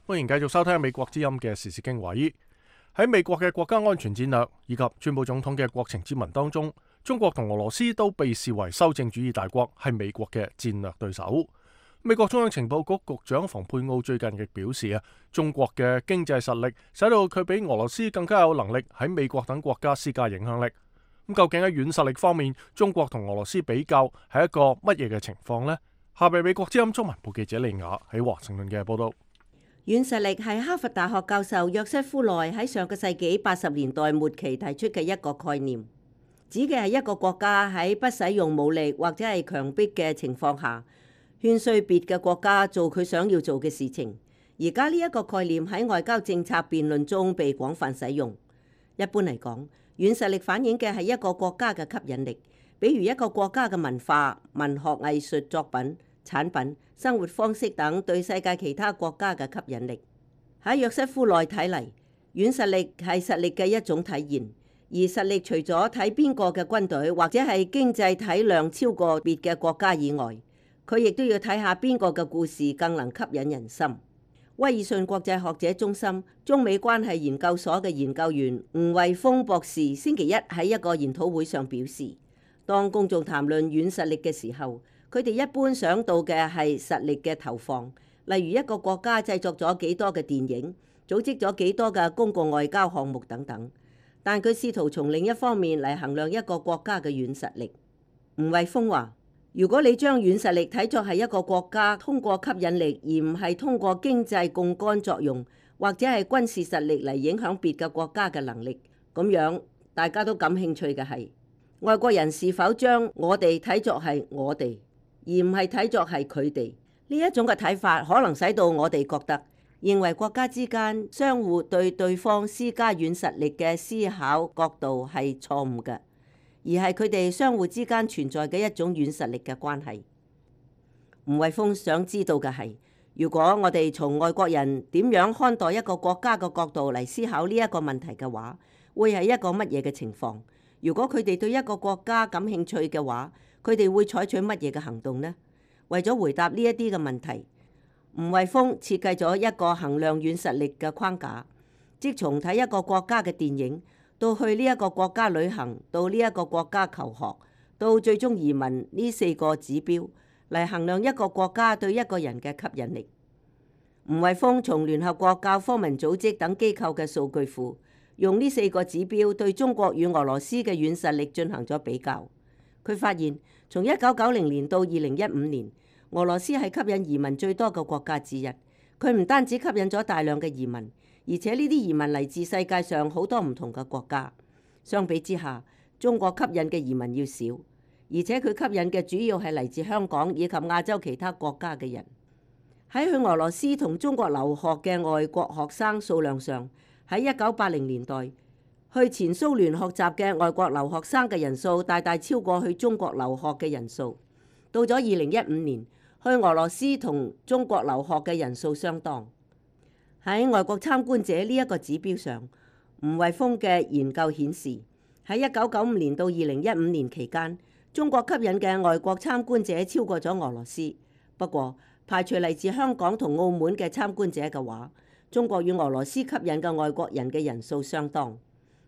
歡迎繼續收聽美國之音嘅時事經緯。喺美國嘅國家安全戰略以及川普總統嘅國情咨文當中，中國同俄羅斯都被視為修正主義大國，係美國嘅戰略對手。美國中央情報局局長蓬佩奧最近亦表示中國嘅經濟實力使到佢比俄羅斯更加有能力喺美國等國家施加影響力。咁究竟喺軟實力方面，中國同俄羅斯比較係一個乜嘢嘅情況呢？下邊美國之音中文部記者利亞喺華盛頓嘅報道。軟實力係哈佛大學教授約瑟夫內喺上個世紀80年代末期提出嘅一個概念，指嘅係一個國家喺不使用武力或者係強迫嘅情況下，勸說別嘅國家做佢想要做嘅事情。而家呢一個概念喺外交政策辯論中被廣泛使用。一般嚟講，軟實力反映嘅係一個國家嘅吸引力，比如一個國家嘅文化、文學藝術作品、產品、生活方式等對世界其他國家嘅吸引力。喺約瑟夫內睇嚟，軟實力係實力嘅一種體現，而實力除咗睇邊個嘅軍隊或者係經濟體量超過別嘅國家以外，佢亦都要睇下邊個嘅故事更能吸引人心。威爾遜國際學者中心中美關係研究所嘅研究員吳惠峰博士星期一喺一個研討會上表示，當公眾談論軟實力嘅時候，佢哋一般想到嘅係實力嘅投放，例如一個國家製作咗幾多嘅電影，組織咗幾多嘅公共外交項目等等。但佢試圖從另一方面嚟衡量一個國家嘅軟實力。吳惠峰話：如果你將軟實力睇作係一個國家通過吸引力，而唔係通過經濟槓桿作用或者係軍事實力嚟影響別嘅國家嘅能力，咁樣大家都感興趣嘅係外國人是否將我哋睇作係我哋，而唔係睇作係佢哋。呢一種嘅睇法可能使到我哋覺得認為國家之間相互對對方施加軟實力嘅思考角度係錯誤嘅，而係佢哋相互之間存在嘅一種軟實力嘅關係。吳惠峰想知道嘅係，如果我哋從外國人點樣看待一個國家嘅角度嚟思考呢一個問題嘅話，會係一個乜嘢嘅情況？如果佢哋對一個國家感興趣嘅話，佢哋會採取乜嘢嘅行動呢？為咗回答呢一啲嘅問題，吳惠峰設計咗一個衡量軟實力嘅框架，即從睇一個國家嘅電影，到去呢一個國家旅行，到呢一個國家求學，到最終移民呢4個指標嚟衡量一個國家對一個人嘅吸引力。吳惠峰從聯合國教科文組織等機構嘅數據庫，用呢4個指標對中國與俄羅斯嘅軟實力進行咗比較。佢發現，從1990年到2015年，俄羅斯係吸引移民最多嘅國家之一。佢唔單止吸引咗大量嘅移民，而且呢啲移民嚟自世界上好多唔同嘅國家。相比之下，中國吸引嘅移民要少，而且佢吸引嘅主要係嚟自香港以及亞洲其他國家嘅人。喺去俄羅斯同中國留學嘅外國學生數量上，喺1980年代，去前蘇聯學習嘅外國留學生嘅人數大大超過去中國留學嘅人數。到咗2015年，去俄羅斯同中國留學嘅人數相當。喺外國參觀者呢一個指標上，吳惠峰嘅研究顯示，喺1995年到2015年期間，中國吸引嘅外國參觀者超過咗俄羅斯。不過，排除嚟自香港同澳門嘅參觀者嘅話，中國與俄羅斯吸引嘅外國人嘅人數相當。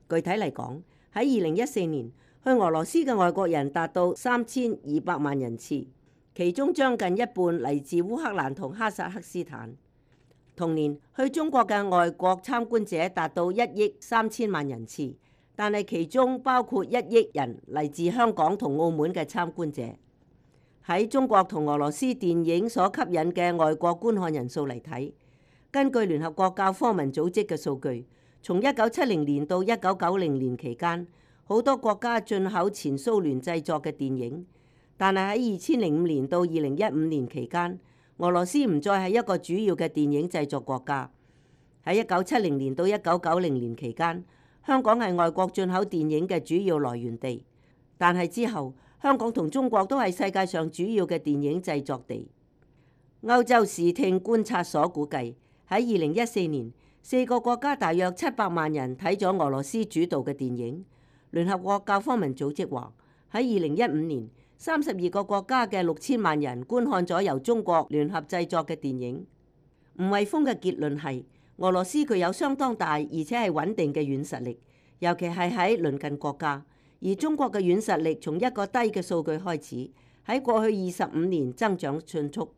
具體嚟講，喺2014年，去俄羅斯嘅外國人達到3200萬人次，其中將近一半嚟自烏克蘭同哈薩克斯坦。同年，去中國嘅外國參觀者達到1億3千萬人次，但係其中包括1億人嚟自香港同澳門嘅參觀者。喺中國同俄羅斯電影所吸引嘅外國觀看人數嚟睇，根據聯合國教科文組織嘅數據，從1970年到1990年期間，好多國家進口前蘇聯製作嘅電影，但係喺2005年到2015年期間，俄羅斯唔再係一個主要嘅電影製作國家。喺1970年到1990年期間，香港係外國進口電影嘅主要來源地，但係之後，香港同中國都係世界上主要嘅電影製作地。歐洲視聽觀察所估計，喺2014年，4個國家大約700萬人睇咗俄羅斯主導嘅電影。聯合國教科文組織話，喺2015年，32個國家嘅6000萬人觀看咗由中國聯合製作嘅電影。吳惠峰嘅結論係，俄羅斯具有相當大而且係穩定嘅軟實力，尤其係喺鄰近國家。而中國嘅軟實力從一個低嘅數據開始，喺過去25年增長迅速。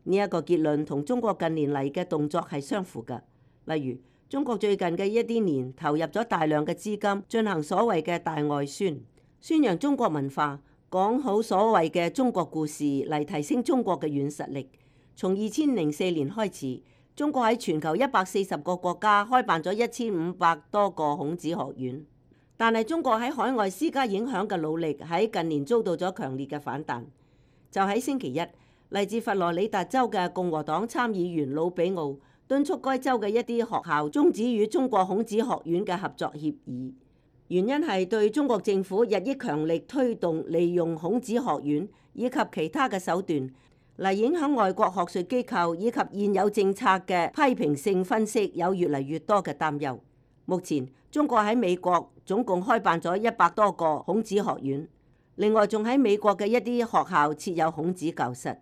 呢一個結論同中國近年嚟嘅動作係相符嘅。例如，中國最近嘅一啲年投入咗大量嘅資金進行所謂嘅大外宣，宣揚中國文化，講好所謂嘅中國故事嚟提升中國嘅軟實力。從2004年開始，中國喺全球140個國家開辦咗1500多個孔子學院。但係中國喺海外施加影響嘅努力喺近年遭到咗強烈嘅反彈。就喺星期一，嚟自佛羅里達州嘅共和黨參議員魯比奧敦促該州嘅一啲學校終止與中國孔子學院嘅合作協議，原因係對中國政府日益強力推動利用孔子學院以及其他嘅手段嚟影響外國學術機構以及現有政策嘅批評性分析有越嚟越多嘅擔憂。目前中國喺美國總共開辦咗100多個孔子學院，另外仲喺美國嘅一啲學校設有孔子教室。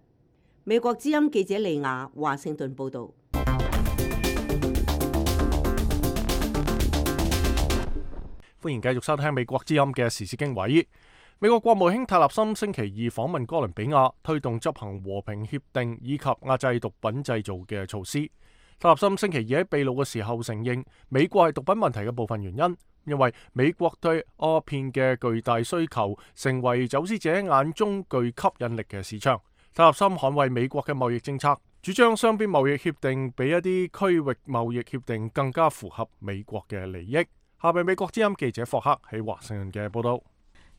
美國之音記者利亞華盛頓報導。歡迎繼續收聽美國之音嘅時事經緯。美國國務卿塔納森星期二訪問哥倫比亞，推動執行和平協定以及壓制毒品製造嘅措施。塔納森星期二喺秘魯嘅時候承認，美國係毒品問題嘅部分原因，因為美國對鴉片嘅巨大需求，成為走私者眼中具吸引力嘅市場。塔納森捍衛美國嘅貿易政策，主張雙邊貿易協定比一啲區域貿易協定更加符合美國嘅利益。下面美國之音記者霍克喺華盛頓嘅報道。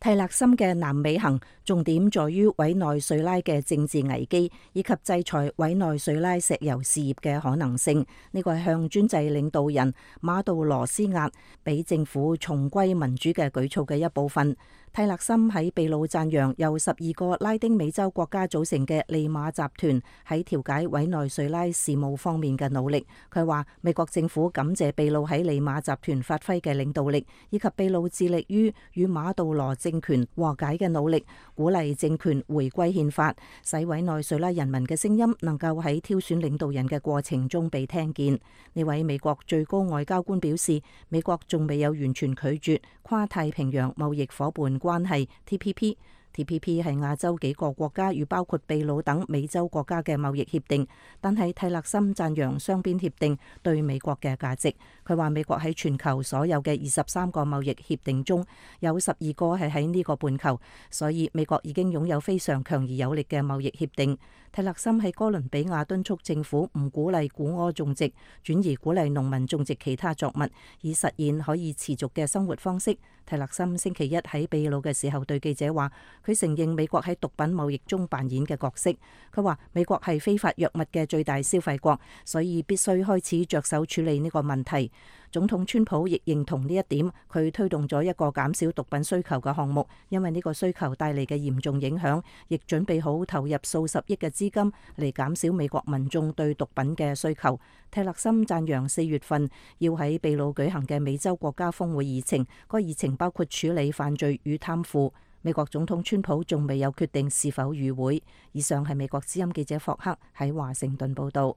蒂勒森嘅南美行重點在於委內瑞拉嘅政治危機，以及制裁委內瑞拉石油事業嘅可能性。呢個係向專制領導人馬杜羅施壓，俾政府重歸民主嘅舉措嘅一部分。蒂勒森喺秘魯讚揚由12個拉丁美洲國家組成嘅利馬集團喺調解委內瑞拉事務方面嘅努力。佢話美國政府感謝秘魯喺利馬集團發揮嘅領導力，以及秘魯致力於與馬杜羅政權和解嘅努力，鼓勵政權回歸憲法，使委內瑞拉人民嘅聲音能夠喺挑選領導人嘅過程中被聽見。呢位美國最高外交官表示，美國仲未有完全拒絕跨太平洋貿易夥伴關係 TPP， TPP 係亞洲幾個國家與包括秘魯等美洲國家嘅貿易協定，但係蒂勒森讚揚雙邊協定對美國嘅價值。佢話美國喺全球所有嘅23個貿易協定中，有12個係喺呢個半球，所以美國已經擁有非常強而有力嘅貿易協定。蒂勒森喺哥倫比亞敦促政府唔鼓勵古柯種植，轉而鼓勵農民種植其他作物，以實現可以持續嘅生活方式。蒂勒森星期一喺秘魯嘅時候對記者話，佢承認美國喺毒品貿易中扮演嘅角色。佢話美國係非法藥物嘅最大消費國，所以必須開始着手處理呢個問題。總統川普亦認同呢一點，佢推動咗一個減少毒品需求嘅項目，因為呢個需求帶嚟嘅嚴重影響，亦準備好投入數十億嘅資金嚟減少美國民眾對毒品嘅需求。蒂勒森讚揚4月份要喺秘魯舉行嘅美洲國家峰會議程，個議程包括處理犯罪與貪腐。美國總統川普仲未有決定是否與會。以上係美國之音記者霍克喺華盛頓報道。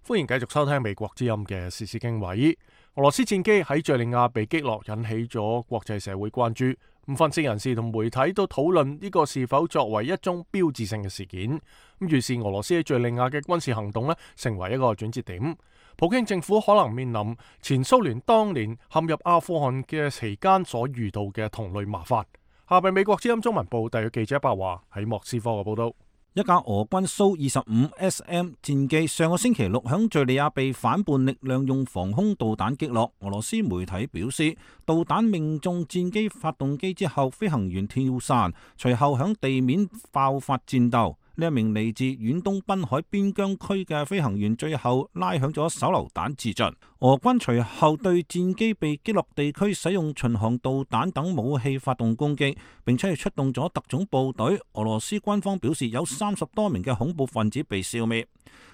歡迎繼續收聽美國之音嘅時事經緯。俄羅斯戰機喺敘利亞被擊落，引起咗國際社會關注。分析人士同媒體都討論呢個是否作為一宗標誌性嘅事件。於是俄羅斯喺敘利亞嘅軍事行動成為一個轉折點。普京政府可能面臨前蘇聯當年陷入阿富汗嘅期間所遇到嘅同類麻煩。下邊美國之音中文部特約記者白華喺莫斯科嘅報道。一架俄軍蘇 25SM 戰機上個星期六響敘利亞被反叛力量用防空導彈擊落。俄羅斯媒體表示，導彈命中戰機發動機之後，飛行員跳傘，隨後響地面爆發戰鬥。呢一名嚟自遠東濱海邊疆區嘅飛行員最後拉響咗手榴彈自盡。俄軍隨後對戰機被擊落地區使用巡航導彈等武器發動攻擊，並且係出動咗特種部隊。俄羅斯軍方表示有30多名嘅恐怖分子被消滅。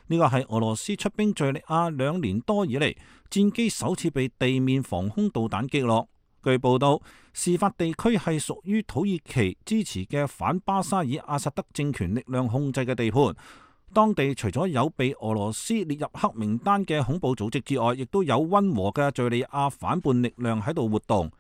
呢個係俄羅斯出兵敘利亞2年多以嚟，戰機首次被地面防空導彈擊落。據報道，事發地區係屬於土耳其支持嘅反巴沙爾阿薩德政權力量控制嘅地盤。當地除咗有被俄羅斯列入黑名單嘅恐怖組織之外，亦都有溫和嘅敘利亞反叛力量喺度活動。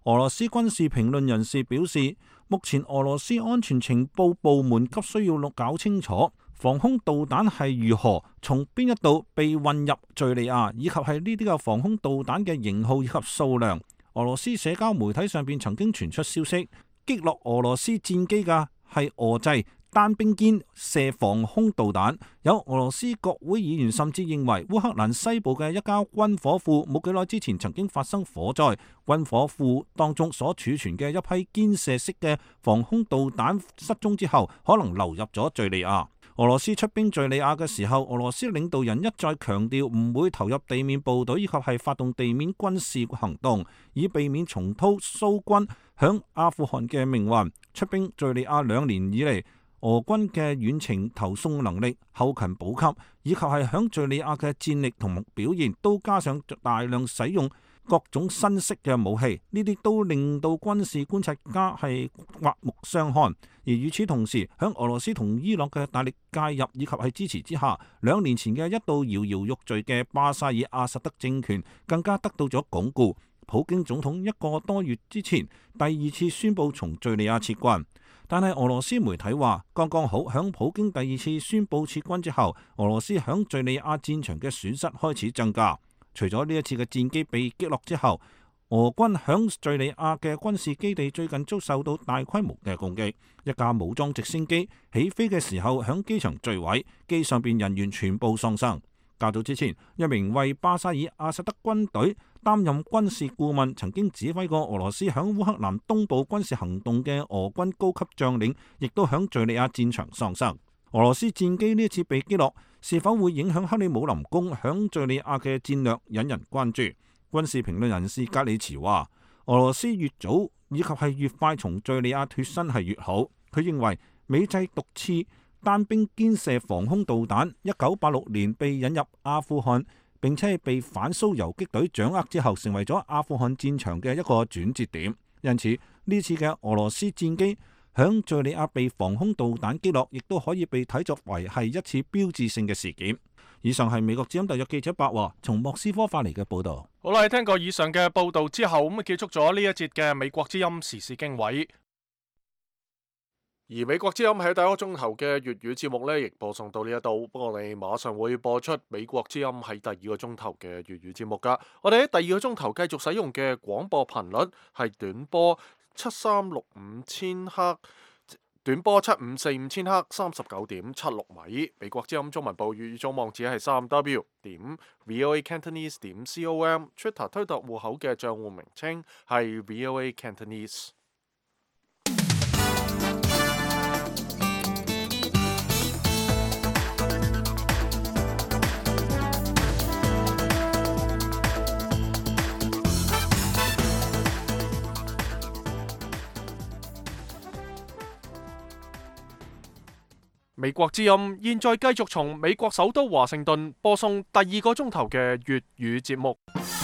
俄羅斯軍事評論人士表示，目前俄羅斯安全情報部門急需要搞清楚防空導彈係如何從邊一度被運入敘利亞，以及係呢啲嘅防空導彈嘅型號以及數量。俄羅斯社交媒體上邊曾經傳出消息，擊落俄羅斯戰機嘅係俄製單兵肩射防空導彈。有俄羅斯國會議員甚至認為烏克蘭西部嘅一家軍火庫冇幾耐之前曾經發生火災，軍火庫當中所儲存嘅一批肩射式嘅防空導彈失蹤之後，可能流入咗敘利亞。俄羅斯出兵敘利亞嘅時候，俄羅斯領導人一再強調唔會投入地面部隊以及係發動地面軍事行動，以避免重蹈蘇軍響阿富汗嘅命運。出兵敘利亞2年以嚟，俄軍嘅遠程投送能力、後勤補給以及係響敘利亞嘅戰力同表現，都加上大量使用各種新式嘅武器，呢啲都令到軍事觀察家係刮目相看。而與此同時，響俄羅斯同伊朗嘅大力介入以及係支持之下，2年前嘅一度搖搖欲墜嘅巴沙爾阿薩德政權更加得到咗鞏固。普京總統1個多月之前第2次宣布從敘利亞撤軍，但係俄羅斯媒體話，剛剛好響普京第2次宣布撤軍之後，俄羅斯響敘利亞戰場嘅損失開始增加。除咗呢一次嘅戰機被擊落之後，俄軍響敘利亞嘅軍事基地最近遭受到大規模嘅攻擊。一架武裝直升機起飛嘅時候響機場墜毀，機上邊人員全部喪生。較早之前，一名為巴沙爾阿薩德軍隊擔任軍事顧問、曾經指揮過俄羅斯響烏克蘭東部軍事行動嘅俄軍高級將領，亦都響敘利亞戰場喪生。俄羅斯戰機呢一次被擊落，是否會影響克里姆林宮響敘利亞嘅戰略，引人關注。軍事評論人士格里茨話，俄羅斯越早以及係越快從敘利亞脫身係越好。佢認為美製毒刺單兵肩射防空導彈1986年被引入阿富汗，並且係被反蘇游擊隊掌握之後，成為咗阿富汗戰場嘅一個轉折點。因此呢次嘅俄羅斯戰機響敘利亞被防空導彈擊落，亦都可以被睇作為係一次標誌性嘅事件。以上係美國之音特約記者白華從莫斯科發嚟嘅報導。好啦，聽過以上嘅報導之後，咁結束咗呢一節嘅美國之音時事經緯。而美國之音喺第一個鐘頭嘅粵語節目呢，亦播送到呢一度。不過我哋馬上會播出美國之音喺第二個鐘頭嘅粵語節目噶。我哋喺第二個鐘頭繼續使用嘅廣播頻率係短波7365千赫。短波7545千赫39.76米，美國之音中文部粵語總網址係3w.voacantonese.com，Twitter 推特戶口嘅賬戶名稱係 VOA Cantonese。美國之音現在繼續從美國首都華盛頓播送第二個鐘頭嘅粵語節目。